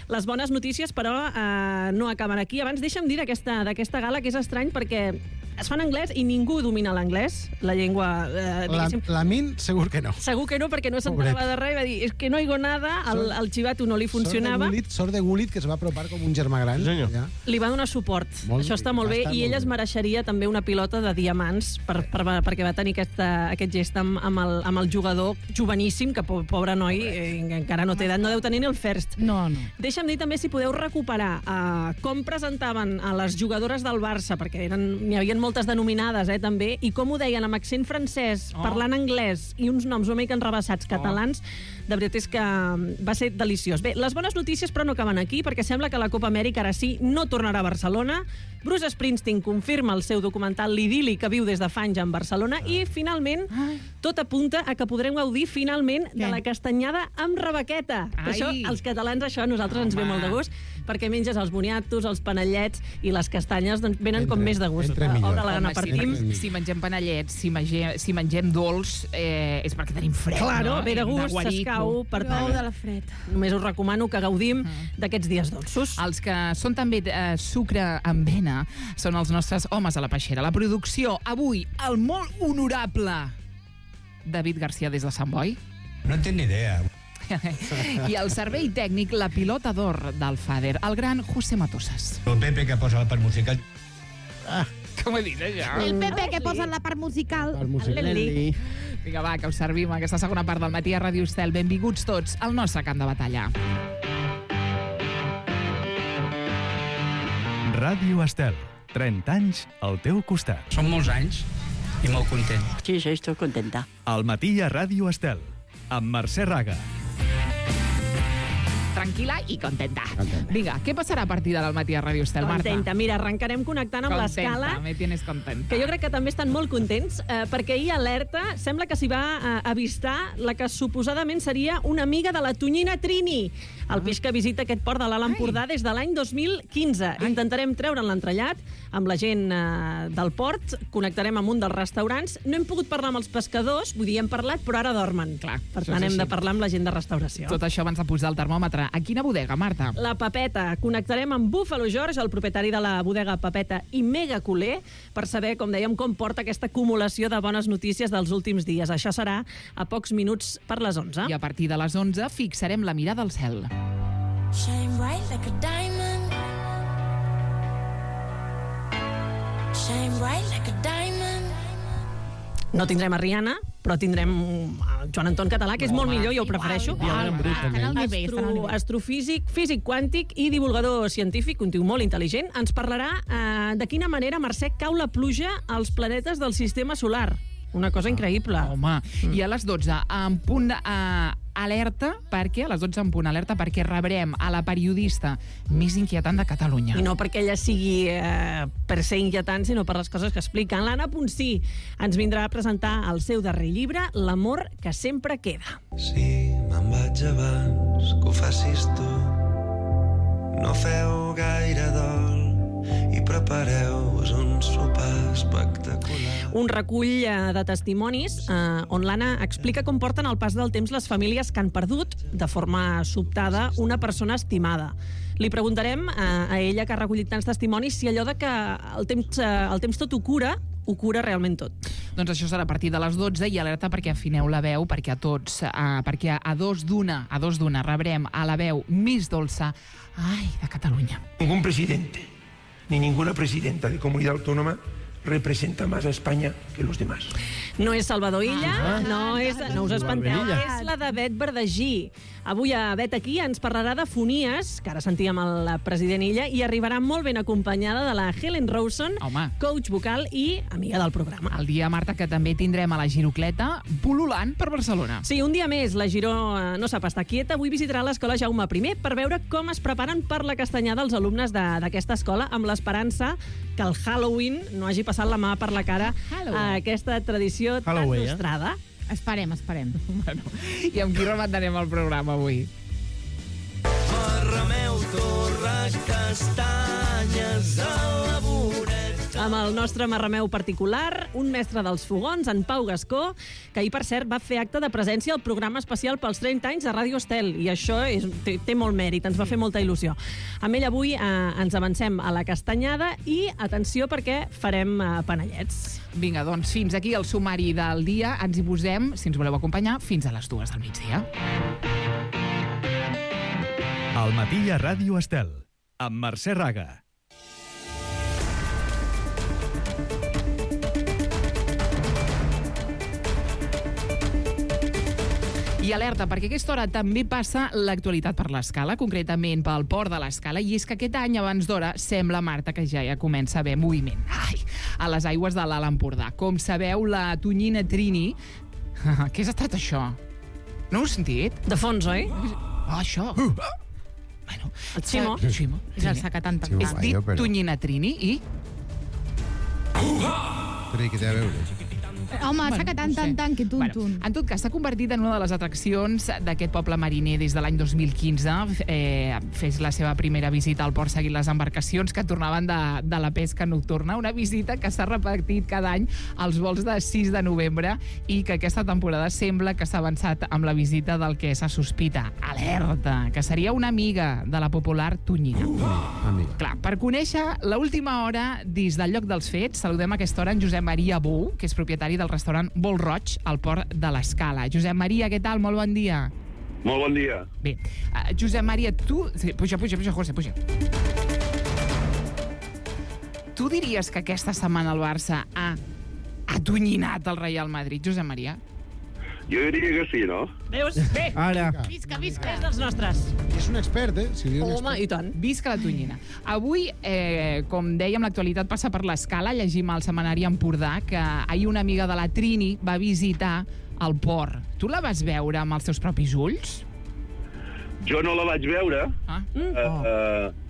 Les bones notícies, però, eh, no acaben aquí. Abans deixa'm dir d'aquesta d'aquesta gala que és estrany perquè es fa en anglès i ningú domina l'anglès, la llengua... Eh, La, la Min, segur que no. Segur que no, perquè no s'enterava de res i va dir, és que no higo nada, el, el xivato no li funcionava. Sort de Gullit, sort de Gullit, que es va apropar com un germà gran. Ja. Li va donar suport. Molt Això està molt bé, està i molt ell es bé. mereixeria també una pilota de diamants per, per, perquè va tenir aquesta, aquest gest amb, amb, el, amb el jugador joveníssim, que po, pobre noi eh, encara no té edat, no deu tenir ni el first. No, no. Deixa'm dir també si podeu recuperar eh, com presentaven a les jugadores del Barça, perquè n'hi havia moltes denominades, eh, també, i com ho deien amb accent francès, Oh. parlant anglès i uns noms una mica enrebaçats catalans, de veritat és que va ser deliciós. Bé, les bones notícies però no acaben aquí, perquè sembla que la Copa Amèrica ara sí no tornarà a Barcelona. Bruce Springsteen confirma el seu documental L'idili que viu des de fa anys en Barcelona i finalment tot apunta a que podrem gaudir finalment de la castanyada amb rebequeta. Ai. Això, els catalans, això a nosaltres ens ve molt de gust, perquè menges els boniatos, els panellets i les castanyes doncs, venen com més de gust. entre millor. Obre la gana, Home, partim. si, si mengem panellets, si mengem, si mengem dolç, eh, és perquè tenim fred, Claro, no? ve de gust, guarico. s'escau, per tant, de la fred. només us recomano que gaudim d'aquests dies dolços. Els que són també eh, sucre amb vena són els nostres homes a la peixera. La producció, avui, el molt honorable David García des de Sant Boi. No tinc ni idea. I el servei tècnic, la pilota d'or del Fader, el gran José Matosas. El Pepe que posa la part musical. Ah, Com he dit, això? El Pepe que posa la part musical. el musical. Leli. Vinga, va, que us servim aquesta segona part del matí a Ràdio Estel. Benvinguts tots al nostre camp de batalla. Ràdio Estel. trenta anys al teu costat. Són molts anys i molt content. Sí, sí, estic contenta. Al matí a Ràdio Estel, amb Mercè Raga. Tranquil·la i contenta. Vinga, què passarà a partir de al matí a Ràdio Estel, Marta? Contenta. Mira, arrencarem connectant amb l'escala, Me tienes contenta. que jo crec que també estan molt contents, eh, perquè ahir alerta sembla que s'hi va eh, avistar la que suposadament seria una amiga de la tonyina Trini, el peix que visita aquest port de l'Alt Empordà des de l'any dos mil quinze. Intentarem treure'n l'entrellat amb la gent eh, del port, connectarem amb un dels restaurants. No hem pogut parlar amb els pescadors, vull dir, hem parlat, però ara dormen. Clar, per això tant, és hem de així. parlar amb la gent de restauració. Tot això abans de posar el termòmetre. A quina bodega, Marta? La Papeta. Connectarem amb Buffalo George, el propietari de la bodega Papeta i Mega Culer, per saber, com dèiem, com porta aquesta acumulació de bones notícies dels últims dies. Això serà a pocs minuts per les onze. I a partir de les onze fixarem la mirada al cel. Shine bright like a diamond. Shine bright like a diamond. No tindrem a Rihanna, però tindrem a Joan Anton Català, que és molt millor, jo ho prefereixo. Astro, astrofísic, físic quàntic i divulgador científic, un tio molt intel·ligent, ens parlarà eh, de quina manera, Mercè, cau la pluja als planetes del sistema solar. Una cosa increïble. Home, mm. i a les dotze, en punt de, uh, alerta, perquè a les dotze en punt alerta, perquè rebrem a la periodista més inquietant de Catalunya. I no perquè ella sigui eh, per ser inquietant, sinó per les coses que explica. L'Anna Ponsí ens vindrà a presentar el seu darrer llibre, L'amor que sempre queda. Si me'n vaig abans que ho facis tu, no feu gaire dol i prepareu-vos un sopar espectacular. Un recull eh, de testimonis eh, on l'Anna explica com porten al pas del temps les famílies que han perdut, de forma sobtada, una persona estimada. Li preguntarem eh, a ella, que ha recollit tants testimonis, si allò de que el temps, eh, el temps tot ho cura, ho cura realment tot. Doncs això serà a partir de les dotze i alerta perquè afineu la veu, perquè a tots, eh, perquè a dos d'una, a dos d'una rebrem a la veu més dolça, ai, de Catalunya. Ningún presidente ni ninguna presidenta de comunidad autónoma representa más a España que los demás. No és Salvador Illa, Ah. no, és, no us espanteu, és la de Bet Verdagí. Avui a Bet aquí ens parlarà de fonies, que ara sentíem el president Illa, i arribarà molt ben acompanyada de la Helen Rawson, Home. coach vocal i amiga del programa. El dia, Marta, que també tindrem a la Girocleta pul·lulant per Barcelona. Sí, un dia més, la Giró eh, no sap estar quieta. Avui visitarà l'escola Jaume I per veure com es preparen per la castanyada els alumnes de- d'aquesta escola, amb l'esperança que el Halloween no hagi passat la mà per la cara a aquesta tradició tan Halloween, eh? nostrada. Esperem, esperem. Bueno, i amb qui rematarem el programa avui? Remeu torra castanyes a la voreta. Amb el nostre marrameu particular, un mestre dels fogons, en Pau Gascó, que ahir, per cert, va fer acte de presència al programa especial pels trenta anys de Ràdio Estel, i això és, té, té molt mèrit, ens va fer molta il·lusió. Amb ell avui eh, ens avancem a la castanyada i, atenció, perquè farem eh, panellets. Vinga, doncs fins aquí el sumari del dia. Ens hi posem, si ens voleu acompanyar, fins a les dues del migdia. Al matí a Ràdio Estel, amb Mercè Raga. I alerta, perquè a aquesta hora també passa l'actualitat per l'Escala, concretament pel port de l'Escala, i és que aquest any, abans d'hora, sembla, Marta, que ja ja comença a haver moviment. Ai, a les aigües de l'Alt Empordà. Com sabeu, la tonyina Trini... Què has estat això? No ho has sentit? De fons, oi? Ah, això. Uh. Bueno, el Ximo. Ximo. És el sacatant tan És dit però... tonyina Trini i... Però què té a veure? Home, bueno, saca tant, tant, tant, que tun, bueno, tun. En tot cas, s'ha convertit en una de les atraccions d'aquest poble mariner des de l'any dos mil quinze. Eh, fes la seva primera visita al port seguint les embarcacions que tornaven de, de la pesca nocturna. Una visita que s'ha repetit cada any als vols de sis de novembre i que aquesta temporada sembla que s'ha avançat amb la visita del que se sospita. Alerta! Que seria una amiga de la popular tonyina. Uh, amiga. Clar, per conèixer l'última hora des del lloc dels fets, saludem a aquesta hora en Josep Maria Bou, que és propietari del restaurant Bol Roig, al port de l'Escala. Josep Maria, què tal? Molt bon dia. Molt bon dia. Bé, uh, Josep Maria, tu... Sí, puja, puja, puja, José, puja. Tu diries que aquesta setmana el Barça ha atonyinat el Real Madrid, Josep Maria? Jo diria que sí, no? Veus? Bé. Ara. Visca, visca. És dels nostres. És un expert, eh? Si Home, expert. I tant. Visca la tonyina. Avui, eh, com dèiem, l'actualitat passa per l'Escala. Llegim al setmanari Empordà que ahir una amiga de la Trini va visitar el port. Tu la vas veure amb els teus propis ulls? Jo no la vaig veure. Ah. Mm. Uh, uh,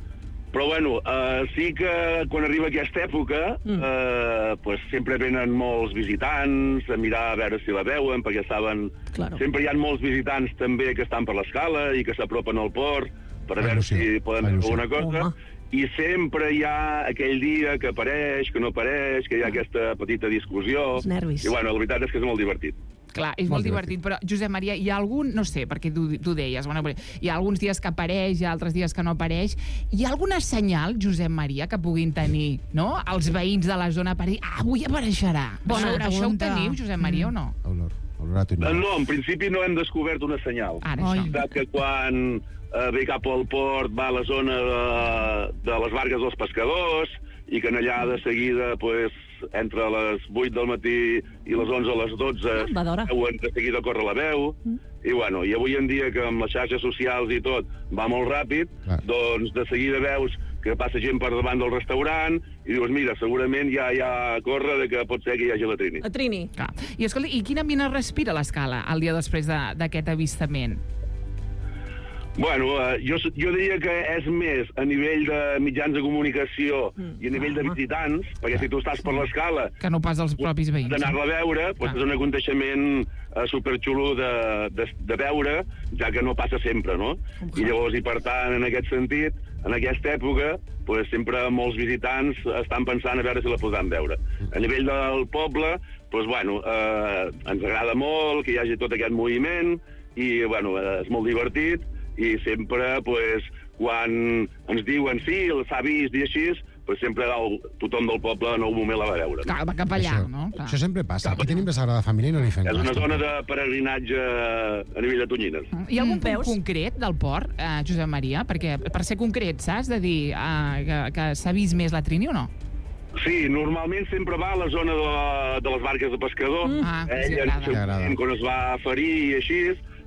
però, bueno, uh, sí que quan arriba aquesta època mm. uh, pues, sempre venen molts visitants a mirar a veure si la veuen, perquè saben... Claro. Sempre hi ha molts visitants també que estan per l'Escala i que s'apropen al port per a veure si poden fer alguna cosa. Home. I sempre hi ha aquell dia que apareix, que no apareix, que hi ha aquesta petita discussió. Els nervis. I, bueno, la veritat és que és molt divertit. Clar, és molt, molt divertit, però, Josep Maria, hi ha algun, no sé, perquè tu, tu deies, bueno, hi ha alguns dies que apareix, hi ha altres dies que no apareix. Hi ha alguna senyal, Josep Maria, que puguin tenir, no?, els veïns de la zona per dir, ah, avui apareixerà. Bona Bona això ho pregunta. teniu, Josep Maria, mm. o no? Olor, olor a tonyina. No, en principi no hem descobert una senyal. Ara, és veritat que quan eh, ve cap al port va a la zona de, de les barques dels pescadors i que en allà de seguida, pues, entre les vuit del matí i les onze a les dotze, ah, veuen de seguida córrer la veu, mm. i bueno, i avui en dia que amb les xarxes socials i tot va molt ràpid, ah. doncs de seguida veus que passa gent per davant del restaurant i dius, mira, segurament ja hi ha corre de que pot ser que hi hagi la Trini. La Trini. Ah. I, escolta, i quin ambient es respira a l'Escala el dia després d'aquest de, avistament? Bueno, uh, jo, jo diria que és més a nivell de mitjans de comunicació mm. i a nivell de visitants, perquè si tu estàs per l'Escala... Que no pas els propis veïns. D'anar-la a veure, doncs ah. és un aconteixement uh, superxulo de, de, de veure, ja que no passa sempre, no? Okay. I llavors, i per tant, en aquest sentit, en aquesta època, pues, sempre molts visitants estan pensant a veure si la podran veure. A nivell del poble, pues, bueno, uh, ens agrada molt que hi hagi tot aquest moviment i, bueno, uh, és molt divertit, i sempre, pues, quan ens diuen sí, s'ha vist i així, pues, sempre el, tothom del poble en algun moment la va veure. Clar, va cap allà, això, no? Clar. Això sempre passa. Aquí tenim la Sagrada Família i no li fem És una zona de peregrinatge a nivell de tonyines. Hi ha algun punt concret del port, eh, Josep Maria? Perquè per ser concret, saps? De dir eh, que, que s'ha vist més la Trini o no? Sí, normalment sempre va a la zona de, de les barques de pescador. Mm. Ah, Ell, sí, en, quan es va ferir i així,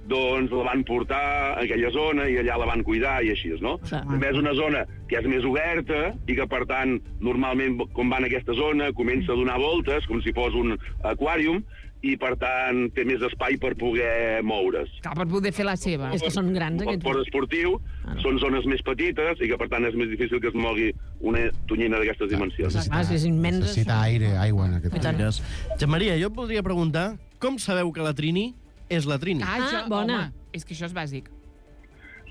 doncs la van portar a aquella zona i allà la van cuidar i així, no? Sí. També és una zona que és més oberta i que, per tant, normalment, quan van a aquesta zona, comença a donar voltes, com si fos un aquàrium, i, per tant, té més espai per poder moure's. Clar, per poder fer la seva. És que són grans, aquests. El port esportiu ah, no. són zones més petites i que, per tant, és més difícil que es mogui una tonyina d'aquestes dimensions. Ah, és immens. Necessita aire, aigua en aquest cas. Josep Maria, jo et voldria preguntar com sabeu que la Trini és la Trini? Ah, això, ah bona. Home, és que això és bàsic.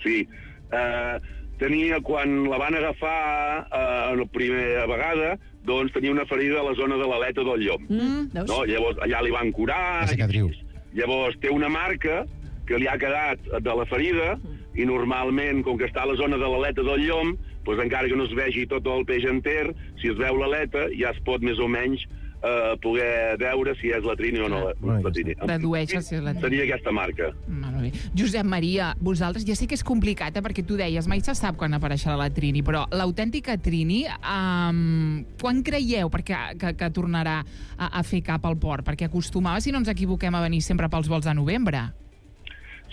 Sí. Uh, tenia, quan la van agafar uh, la primera vegada, doncs tenia una ferida a la zona de l'aleta del llom. Mm, no? Llavors, allà li van curar... La cicatriu. Llavors, té una marca que li ha quedat de la ferida i normalment, com que està a la zona de l'aleta del llom, doncs encara que no es vegi tot el peix enter, si es veu l'aleta ja es pot més o menys eh, poder veure si és la trini o no la, la trini. Dedueixes si és la trini. Seria aquesta marca. Molt bé. Josep Maria, vosaltres, ja sé que és complicat, eh, perquè tu deies, mai se sap quan apareixerà la trini, però l'autèntica trini, um, quan creieu perquè, que, que tornarà a, a fer cap al port? Perquè acostumava, si no ens equivoquem, a venir sempre pels vols de novembre.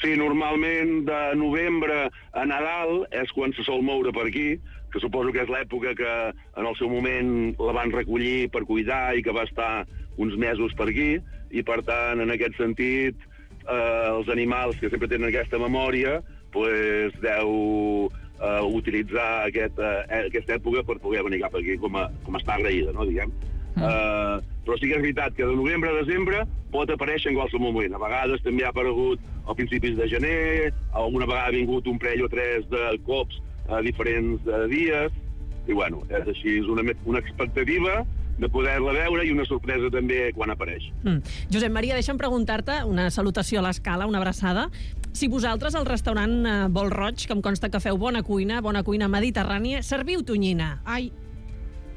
Sí, normalment de novembre a Nadal és quan se sol moure per aquí, que suposo que és l'època que en el seu moment la van recollir per cuidar i que va estar uns mesos per aquí, i per tant, en aquest sentit, eh, els animals que sempre tenen aquesta memòria pues, deu eh, utilitzar aquest, eh, aquesta època per poder venir cap aquí com a, com a estar agraïda, no, diguem. Mm. Uh, però sí que és veritat que de novembre a desembre pot aparèixer en qualsevol moment. A vegades també ha aparegut a principis de gener, alguna vegada ha vingut un parell o tres de cops a diferents uh, dies, i bueno, és així, és una, una expectativa de poder-la veure i una sorpresa també quan apareix. Mm. Josep Maria, deixa'm preguntar-te, una salutació a l'escala, una abraçada, si vosaltres al restaurant uh, Bol Roig, que em consta que feu bona cuina, bona cuina mediterrània, serviu tonyina? Ai.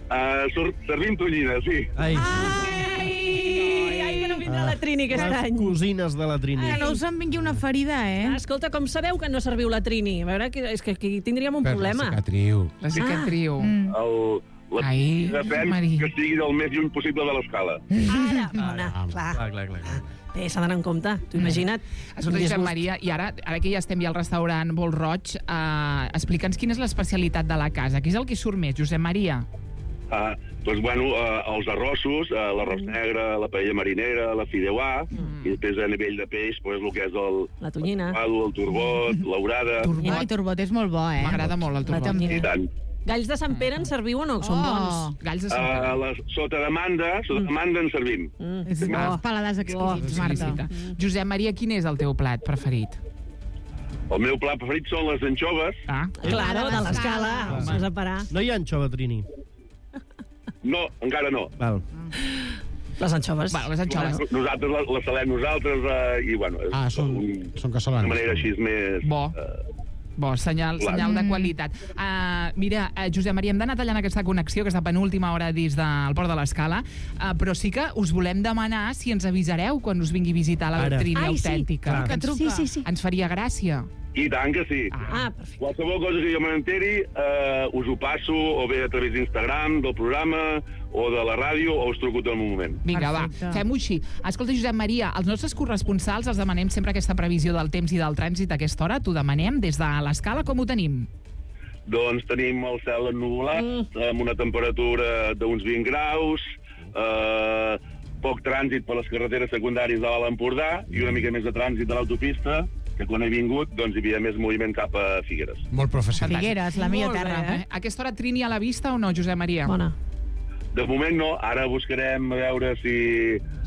Uh, servim tonyina, sí. Ai. Ai, ai, que no vindrà ah. la Trini aquest Les any. cosines de la Trini. Que no us en vingui una ferida, eh? Ah, escolta, com sabeu que no serviu la Trini? A veure, que, és que aquí tindríem un Per problema. la cicatriu. La cicatriu. Ah. Mm. El, la Ai, depèn Maria. que sigui del més lluny possible de l'escala. Ara, mona, Ah, clar. clar, clar, clar, clar. Bé, s'ha d'anar en compte, t'ho imagina't. Escolta, Josep Maria, i ara, ara que ja estem ja al restaurant Bol Roig, eh, explica'ns quina és l'especialitat de la casa. Què és el que surt més, Josep Maria? Ah, doncs, bueno, eh, els arrossos, eh, l'arròs negre, la paella marinera, la fideuà, mm. i després a nivell de peix, pues, el que és el... La tonyina. El, el turbot, l'orada... Ai, turbot és molt bo, eh? M'agrada molt el turbot. I tant. Galls de Sant Pere en serviu o no? Són bons. Galls de Sant Pere. Uh, la, sota demanda, sota demanda en servim. Mm. És bo. Paladars exquisits, Marta. Mm. Josep Maria, quin és el teu plat preferit? El meu plat preferit són les anxoves. Ah, Claro, de l'escala. Vas a parar. No hi ha anxova, Trini. No, encara no. Val. Les anxoves. Bueno, les anxoves. Nosaltres les, les salem nosaltres uh, i, bueno, és Ah, són, un, són casolanes. de manera així més... Bo. Uh, Bo, senyal, Clar. senyal de qualitat. Uh, mira, uh, Josep Maria, hem d'anar tallant aquesta connexió, aquesta penúltima hora dins del Port de l'Escala, uh, però sí que us volem demanar si ens avisareu quan us vingui a visitar la Ara. Trini Ai, sí. autèntica. Clar. Que ens, Sí, sí, sí. ens faria gràcia. I tant que sí. Ah, perfecte. Qualsevol cosa que jo me n'enteri, eh, us ho passo o bé a través d'Instagram, del programa, o de la ràdio, o us truco tot el moment. Vinga, Perfecte. va, fem-ho així. Escolta, Josep Maria, els nostres corresponsals els demanem sempre aquesta previsió del temps i del trànsit a aquesta hora. T'ho demanem des de l'Escala, com ho tenim? Doncs tenim el cel ennuvolat, mm. amb una temperatura d'uns vint graus, eh, poc trànsit per les carreteres secundàries de l'Alt Empordà i una mica més de trànsit de l'autopista, que quan he vingut doncs, hi havia més moviment cap a Figueres. Molt professional. Figueres, la millor Molt bé, terra. Eh? A aquesta hora Trini a la vista o no, Josep Maria? Bona. De moment no, ara buscarem a veure si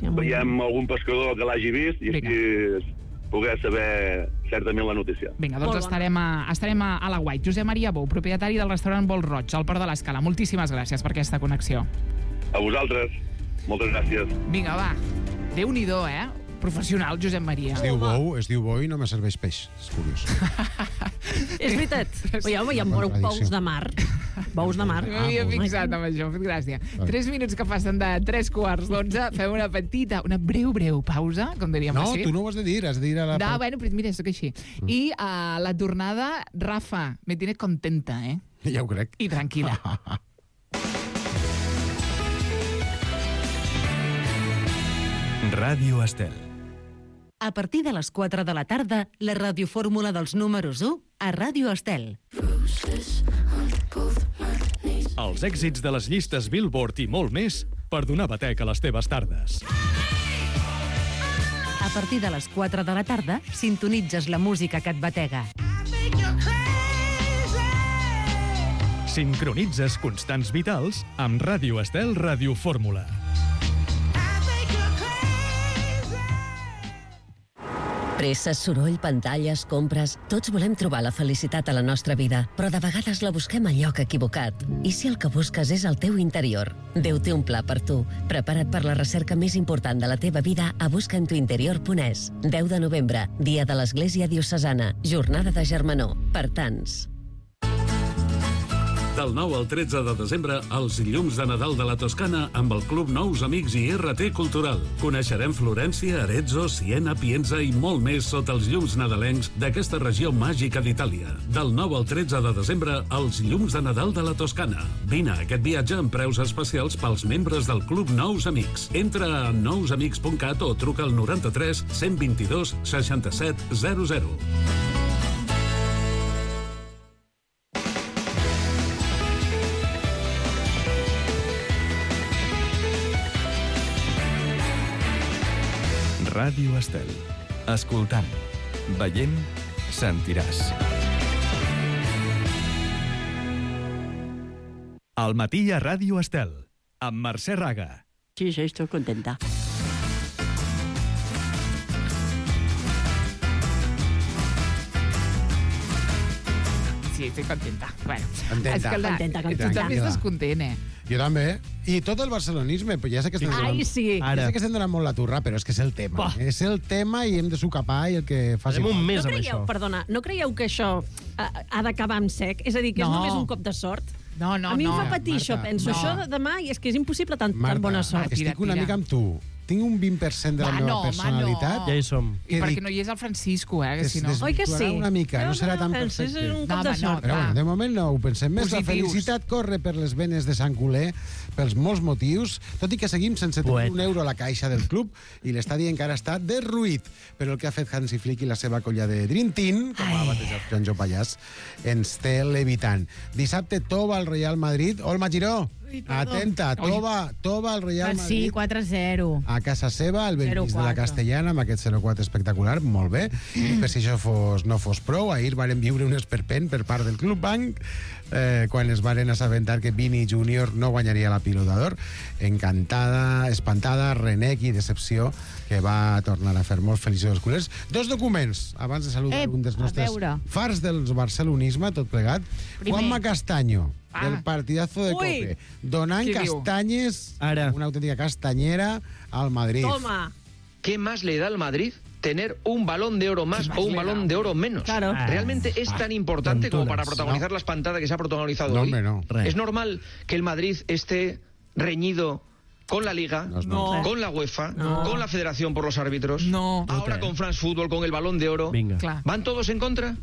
Sí, amb veiem algun pescador que l'hagi vist i Vinga. així poder saber certament la notícia. Vinga, doncs Molt bona. estarem, a, estarem a, a la Guait. Josep Maria Bou, propietari del restaurant Bol Roig, al Port de l'Escala. Moltíssimes gràcies per aquesta connexió. A vosaltres, moltes gràcies. Vinga, va. Déu-n'hi-do, eh? Professional, Josep Maria. Es diu bou, es diu bou i no me serveix peix. És curiós. És veritat. Oi, home, hi ha Bona bous tradició. de mar. Bous de mar. M'havia bous. fixat amb això, m'ha fet gràcia. Vale. Tres minuts que passen de tres quarts d'onze, fem una petita, una breu, breu pausa, com diríem No, així. tu no ho has de dir, has de dir a la... No, bueno, però mira, sóc així. I a la tornada, Rafa, me tiene contenta, eh? Ja ho crec. I tranquil·la. Ràdio Estel. A partir de les quatre de la tarda, la radiofórmula dels números u a Ràdio Estel. Els èxits de les llistes Billboard i molt més per donar batec a les teves tardes. A partir de les quatre de la tarda, sintonitzes la música que et batega. Sincronitzes constants vitals amb Ràdio Estel Radiofórmula. Presses, soroll, pantalles, compres... Tots volem trobar la felicitat a la nostra vida, però de vegades la busquem al lloc equivocat. I si el que busques és el teu interior? Déu té un pla per tu. Prepara't per la recerca més important de la teva vida a busca en tu interior punt es. deu de novembre, dia de l'Església Diocesana, jornada de germanor, per tants. Del nou al tretze de desembre, els llums de Nadal de la Toscana amb el Club Nous Amics i R T Cultural. Coneixerem Florència, Arezzo, Siena, Pienza i molt més sota els llums nadalencs d'aquesta regió màgica d'Itàlia. Del nou al tretze de desembre, els llums de Nadal de la Toscana. Vine a aquest viatge amb preus especials pels membres del Club Nous Amics. Entra a nous amics punt cat o truca al noranta-tres cent vint-i-dos seixanta-set zero zero. Ràdio Estel. Escoltant, veient, sentiràs. Al matí a Ràdio Estel, amb Mercè Raga. Sí, sí, estoy contenta. Sí, estic contenta. Bueno, Contenta. escolta, Contenta, tu contenta. també estàs content, eh? Jo també. I tot el barcelonisme, però ja sé que estem donant, Ai, sí. ja sé que estem donant molt la turra, però és que és el tema. Bah. És el tema i hem de socapar i el que faci... Farem un mes No amb creieu, això. perdona, no creieu que això ha, ha d'acabar amb sec? És a dir, que és No. només un cop de sort? No, no, a mi no. em fa patir Marta, això, penso. no. Això de demà, i és que és impossible tan, Marta, tan bona sort. tira, estic una tira. mica amb tu. Tinc un vint per cent de la Va, meva no, home, personalitat. no. Ja hi som. I que perquè dic, no hi és el Francisco, eh? Que es si no... Oi que sí? desvirtuarà una mica, no serà tan Francis, perfecte. És un No, cop de home, no, sort. Però va. bueno, de moment no ho pensem més. La Positius. felicitat corre per les venes de Sant Culer, pels molts motius, tot i que seguim sense tenir Poeta. un euro a la caixa del club i l'estadi encara està derruït. Però el que ha fet Hansi Flick i la seva colla de Dream Team, com ha batejat Joanjo Pallàs, ens té levitant. Dissabte, Tova al Real Madrid. Olma Giró, Ui, perdó. atenta, Tova, Tova al Real Ah, sí, Madrid. quatre a zero. A casa seva, al Bellvís de la zero quatre. Castellana, amb aquest zero quatre espectacular, molt bé. I per si això fos, no fos prou, ahir varen viure un esperpent per part del Club Banc, eh, quan es varen assabentar que Vini Júnior no guanyaria la Pilota d'Or. Encantada, espantada, renec i decepció, que va tornar a fer molt feliços els culers. Dos documents, abans de saludar Ep, un dels a nostres veure. fars del barcelonisme, tot plegat. Primer. Juanma Castaño, Ah. del partidazo de Ui. Cope, donant Qui diu? castanyes, Ara. una autèntica castanyera, al Madrid. Toma. ¿Qué más le da al Madrid tener un balón de oro más ¿Qué más o un le balón da? de oro menos? Claro. ¿Realmente es tan importante como para tontunas, protagonizar la espantada que se ha protagonizado No, hoy? hombre, no. Re. ¿Es normal que el Madrid esté reñido con la Liga, No, no. con la UEFA, No. con la Federación por los árbitros, No. ahora con France Football, con el balón de oro? Vinga. Clar. ¿Van todos en contra?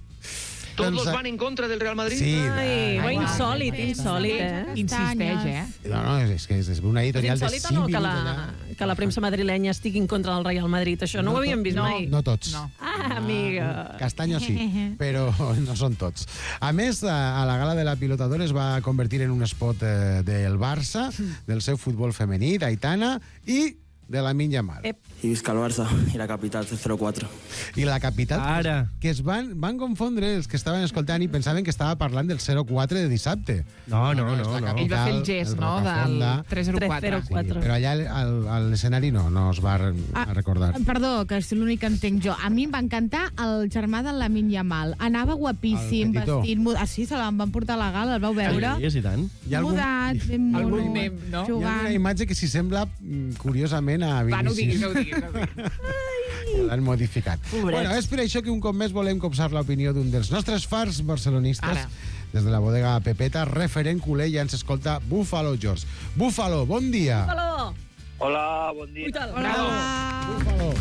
¿Todos Doncs, van en contra del Real Madrid? Sí, Ai, va, va, Ai, insòlid, va. insòlid, eh? Insisteix, eh? No, no, és que és, és una És editorial de insòlid o cinc no que minuts la, allà. que la premsa madrilenya estigui en contra del Real Madrid? Això no, ho havíem vist no, mai. No tots. No. Ah, amiga. Castanyo sí, però no són tots. A més, a, a la gala de la Pilota d'Or es va convertir en un spot eh, del Barça, del seu futbol femení, d'Aitana, i de la Lamine Yamal. Ep. I visca el Barça i la capital, zero quatre. I la capital, Ara. que es van, van confondre els que estaven escoltant i pensaven que estava parlant del zero quatre de dissabte. No, no, és no, la no. capital, Ell va fer el gest, el no?, del Rocafonda. tres zero quatre. tres zero quatre. Però allà al- a l'escenari no, no es va re- Ah, a recordar. Perdó, que és l'únic que entenc jo. A mi em va encantar el germà de Lamine Yamal. Anava guapíssim, El petitó. vestit... mud- Ah, sí, se l'en van portar a la gala, el vau veure? Sí, és i tant. Hi ha algun- Mudat, ben Algun mono, mem, no? Hi ha jugant. una imatge que s'hi sembla mm, curiosament a Va, no ho diguis, Vinícius. no ho diguis. No ho diguis. L'han modificat. Pobrets. Bueno, és per això que un cop més volem copsar l'opinió d'un dels nostres fars barcelonistes. Ara. Des de la bodega Pepeta, referent culer, ja ens escolta Búfalo George. Búfalo, bon dia. Búfalo. Hola, bon dia. Hola. Búfalo.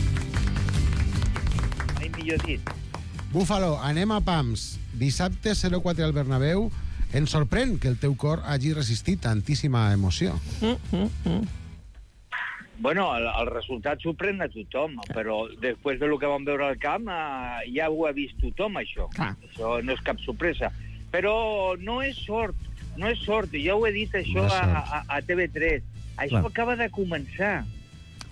Mai millor dit. Búfalo, anem a pams. Dissabte zero quatre al Bernabéu. Ens sorprèn que el teu cor hagi resistit tantíssima emoció. Bueno, el, el resultat sorprèn a tothom, però després de lo que vam veure al camp eh, ja ho ha vist tothom, això. Clar. Això no és cap sorpresa. Però no és sort, no és sort. Ja ho he dit això No és a, sort. a, a T V tres. Això Clar. acaba de començar.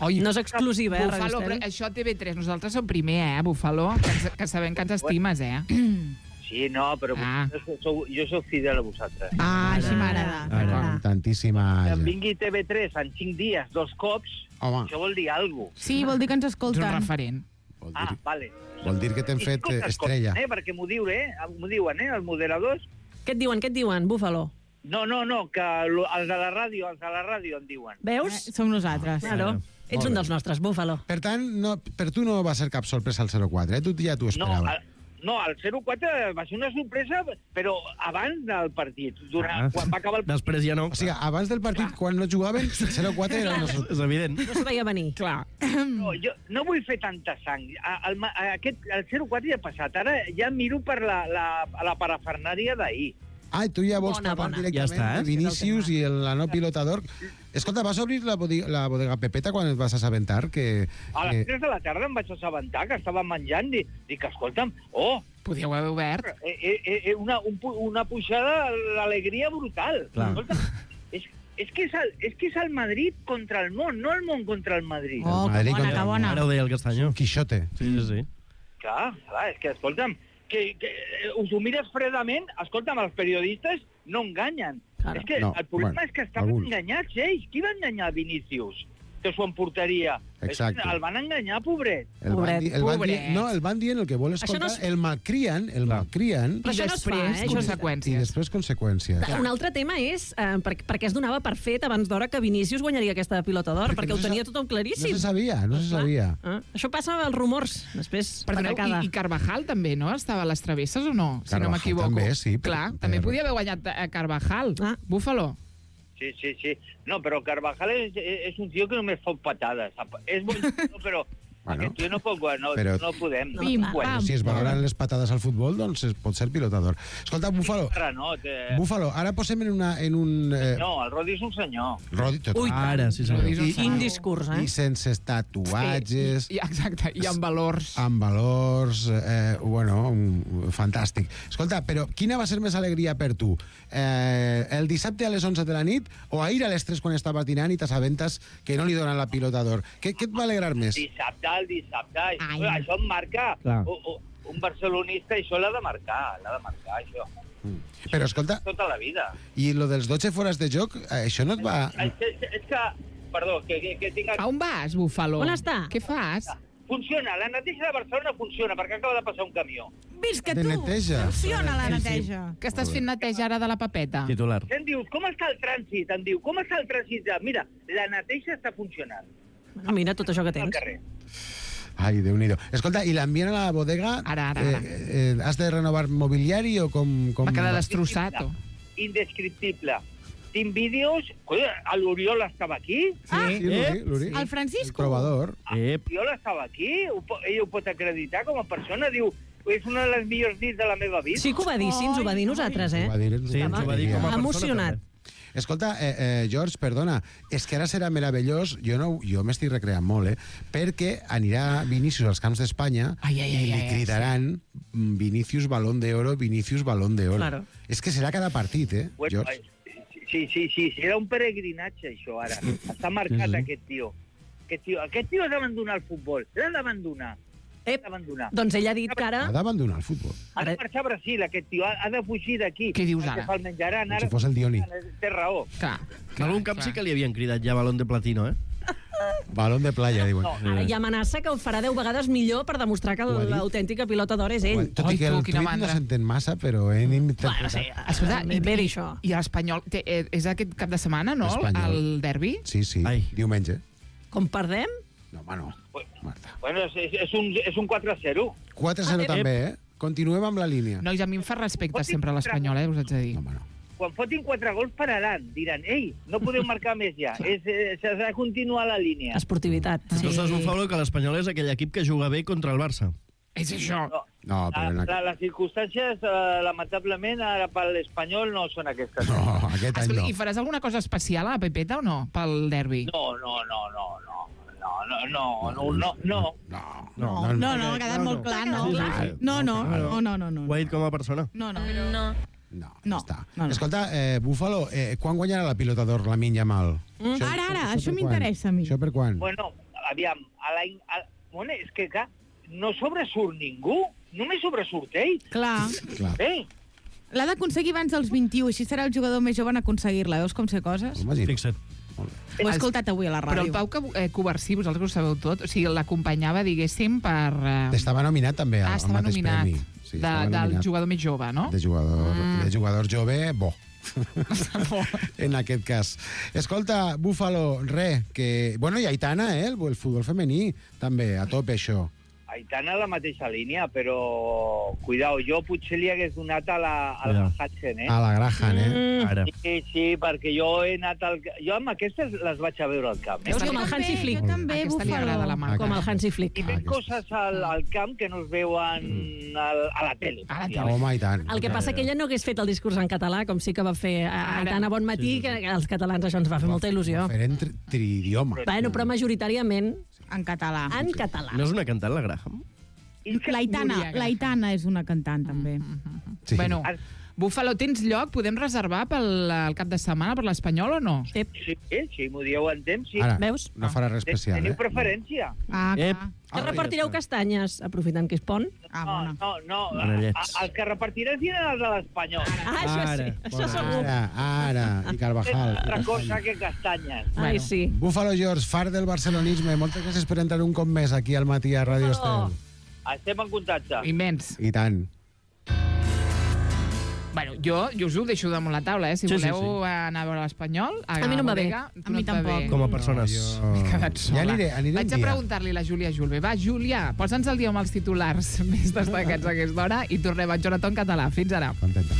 Oi, No és exclusiva, eh, Bufalo, Radio però Estel? això T V tres, nosaltres som primer, eh, Bufalo, que, ens, que sabem que ens estimes, eh? Sí, no, però Ah. jo, sou, jo sóc fidel a vosaltres. Ah, així m'agrada. Amb tantíssima Que em gent. vingui T V tres en cinc dies, dos cops, Home. això vol dir alguna cosa. Sí, vol dir que ens Ets un escolten. referent. Vol Ah, dir, vale. vol dir que t'hem fet eh, Escolta, estrella. Eh, perquè m'ho diu, eh? M'ho diuen, eh? Els moderadors. Què et diuen, què et diuen, Búfalo? No, no, no, que lo- els de la ràdio, els de la ràdio em diuen. Veus? Eh, som nosaltres. Claro. Ets Molt un bé. dels nostres, Búfalo. Per tant, no, per tu no va ser cap sorpresa el zero quatre, eh? Tu ja t'ho No, esperaves. el, no, el zero quatre va ser una sorpresa, però abans del partit, durant, Ah. quan va acabar el partit. Després ja no. O sigui, abans del partit, quan no jugaven, zero quatre era una sorpresa. És evident. No s'ho veia venir. Clar. No, jo no vull fer tanta sang. A- El, ma- a- aquest, el zero quatre ja ha passat. Ara ja miro per la, la, la parafernària d'ahir. Ah, tu ja vols Bona, parlar bona. directament Ja està, eh? de Vinícius i el, la no pilotador. Escolta, vas obrir la, bodega, la bodega Pepeta quan et vas assabentar que... A les que... tres de la tarda em vaig assabentar que estava menjant. Dic, dic escolta'm, oh, Podíeu haver obert. eh, eh, eh, una, un, pu- una pujada d'alegria brutal. Clar. Escolta, és, és, que és, el, és que és el Madrid contra el món, no el món contra el Madrid. Oh, que Madrid bona, contra que bona. Ara ho deia el Castanyo. Quixote. Sí, sí, sí. Clar, clar, és que, escolta'm, que, que eh, us ho mires fredament, escolta'm, els periodistes no enganyen. Claro. És que No, el problema bueno, és que estaven alguns. enganyats ells. Qui va enganyar Vinícius? Que s'ho emportaria. Exacte. El van enganyar, pobret. El van, Pobret, di, el van pobret. dir, no, el van dient el que vol Això escoltar, no es- el malcrien, el malcrien, Però I això no es fa, després, eh? Això és- i conseqüències. després conseqüències. Un altre tema és eh, per, perquè es donava per fet abans d'hora que Vinícius guanyaria aquesta pilota d'or, perquè no ho se tenia sa- tothom No claríssim. se sabia, no se Clar. sabia. Ah, això passa als rumors, després, Perdoneu, patacada. i, i Carvajal també, no? Estava a les travesses o no? Si no Carvajal m'equivoco. també, sí, per- Clar, per- també podia haver guanyat a Carvajal. Ah. Búfalo. Sí, sí, sí. No, però Carvajal és, és un tio que només fot patades. És bon tio, però Bueno, aquest tio no pot guanyar, no, però- no podem. No, Pim, clar. pam. Si es valoren les patades al futbol, doncs es pot ser pilotador. Escolta, Búfalo, Renot, eh... Búfalo, ara posem en, una, en un... Eh, No, el Rodi és un senyor. Rodi, tot, Ui, Ara, sí, senyor. Rodi és un I- Quin discurs, eh? I sense tatuatges, I, exacte, i amb valors. amb valors, eh, bueno, un, fantàstic. Escolta, però quina va ser més alegria per tu? Eh, el dissabte a les onze de la nit o ahir a les tres quan estaves dinant i t'assabentes que no li donen la pilota d'or? Què, què et va alegrar més? Dissabte, el dissabte. Ai. Això, això em marca. Clar. O, o, un barcelonista, això l'ha de marcar. L'ha de marcar, això. Però escolta, Tota la vida. i lo dels dotze fores de joc, eh, això no et va... És, és, és que... Perdó, que, que, que tinc... A on vas, Búfalo? On està? Què fas? Funciona, la neteja de Barcelona funciona, perquè acaba de passar un camió. Visca De tu! neteja. Funciona la Sí, sí. neteja. Que estàs fent neteja ara de la papeta? Titular. Què em dius? Com està el trànsit? Em diu, com està el trànsit? Mira, la neteja està funcionant Ah, mira, tot això que al tens. carrer. Ai, Déu-n'hi-do. Escolta, i l'ambient a la bodega... Ara, ara, ara. Eh, eh, has de renovar mobiliari o com... com... Va quedar destrossat. o? Indescriptible. Tinc vídeos... Colla, l'Oriol estava aquí? Ah, Sí, l'Uri, l'Uri. El Francisco. El trobador. Ep. L'Oriol estava aquí? Ho, po- ell ho pot acreditar com a persona? Diu, és una de les millors nits de la meva vida. Sí que ho va dir, sí, ens ho va dir nosaltres, eh? Ho va dir, Sí, ens ho va dir com a persona. Emocionat. també. Escolta, eh, eh, George, perdona, és que ara serà meravellós, jo, no, jo m'estic recreant molt, eh, perquè anirà Vinícius als camps d'Espanya Ai, ai, ai, i li ai, ai, cridaran mm, Vinícius Balón de Oro, Vinícius Balón de Oro. Claro. És que serà cada partit, eh, Bueno, George? eh, sí, sí, sí, serà un peregrinatge, això, ara. Està marcat, Sí, sí. aquest tio. Aquest tio, aquest tio ha d'abandonar el futbol. L'ha d'abandonar. Ep, L'ha d'abandonar. doncs ell ha dit que ara... Ha d'abandonar el futbol. Ha de marxar a Brasil, aquest tio. Ha, ha de fugir d'aquí. Què dius ara? Que se'l menjaran. Com Ara, si fos el Dioni. Té raó. Clar. En algun camp sí que li havien cridat ja balón de platino, eh? Balón de playa, diuen. No, Ara hi amenaça que ho farà deu vegades millor per demostrar que Ho ha dit? l'autèntica pilota d'or és ell. Tot Ai, i que tu, el quina tuit no mandra. s'entén massa, però hem interpretat... Bueno, sí, Escolta, i, bé dir això. I l'Espanyol té- eh, és aquest cap de setmana, no? L'Espanyol. El derbi? Sí, sí, Ai. diumenge. Com perdem? No, home, no. Marta. Bueno, és, és, és un, és un quatre a zero. quatre a zero Ah, també, eh? Continuem amb la línia. Nois, a mi em fa respecte sempre l'Espanyol, eh? Us haig de dir. No, home, no. Quan fotin quatre gols pararan. Diran, ei, no podeu marcar més ja. És, eh, S'ha de continuar la línia. Esportivitat. Tu saps, Bufalo, que l'Espanyol és aquell equip que juga bé contra el Barça. És això. No, No, però... En la, aqu... les circumstàncies, eh, lamentablement, ara per l'Espanyol no són aquestes. No, aquest any Escolta, no. I faràs alguna cosa especial a la Pepeta o no? Pel derbi? No, no, no, no, no. No, no, no, no, no, no. No, No, no, no, ha quedat molt clar, no. Sí, sí, sí. No, no, no, no, no, no. Ho ha dit com a persona. No, no. No. No, No, ja està. no, no. Escolta, eh, Búfalo, eh, quan guanyarà la pilota d'or la Minya Mal? Mm. Ara, ara, això per m'interessa a mi. Això per quan? Bueno, aviam, a l'any... a- Bueno, és que, clar, no sobresurt ningú. Només sobresurt ell. Clar. Clar. Eh? L'ha d'aconseguir abans dels vint-i-u, així serà el jugador més jove en aconseguir-la. Veus com sé coses? Imagina't. Fixa't. Ho he escoltat avui a la ràdio. Però el Pau eh, Covarsí, vosaltres ho sabeu tot, o sigui, l'acompanyava, diguéssim, per... Eh... Estava nominat també al, ah, al mateix nominat. premi. Sí, de, del nominat. jugador més jove, no? De jugador, Mm. de jugador jove, bo. En aquest cas. Escolta, Búfalo, re, que... Bueno, i Aitana, eh? El, el futbol femení, també, a tope, això. Aitana a la mateixa línia, però... Cuidao, jo potser li hagués donat a la, a la Hudson, eh? A la Graham, eh? Mm. Ara. Sí, sí, perquè jo he anat al... Jo amb aquestes les vaig a veure al camp. Eh? Veus com el Hansi Flick. Jo també, Aquesta li agrada la Marta. Com el Hansi Flick. I veig coses al, al camp que no es veuen al, a la tele. A la tele. Home, i tant. El que passa que ella no hagués fet el discurs en català, com sí que va fer a Aitana Bon Matí, que als catalans això ens va fer molta il·lusió. Fer en tri triidioma. Bueno, però majoritàriament En català. en català. No és una cantant, la Graham? L'Aitana, l'Aitana és una cantant, també. Sí. Bueno, Búfalo, tens lloc? Podem reservar pel el cap de setmana per l'Espanyol o no? Sí, Sí, sí, m'ho dieu en temps, sí. Ara, Veus? no farà res especial, Teniu eh? preferència? Ah, Ep. clar. Que repartireu castanyes, aprofitant que és pont. Ah, No, bona. no, no. Manellets. A- Els que repartirem seran els de l'Espanyol. Ah, això sí, Ara, això segur. Ara, ara, i És Carvajal. altra cosa que castanyes. Ai, sí. Búfalo George, far del barcelonisme, moltes gràcies per entrar un cop més aquí al matí a Ràdio Búfalo. Estel. Estem en contacte. Immens. I tant. Bueno, jo, jo us ho deixo damunt la taula, eh? Si Sí, sí, voleu anar a veure l'Espanyol... A mi no em va bé. bodega, tu A mi no et va tampoc. bé. Com a persones. No, M'he jo... quedat sola. Ja aniré, aniré Vaig un a dia. preguntar-li a la Júlia Julve. Va, Júlia, posa'ns el dia amb els titulars més destacats a aquesta hora i tornem a Jonathan Català. Fins ara. Contenta.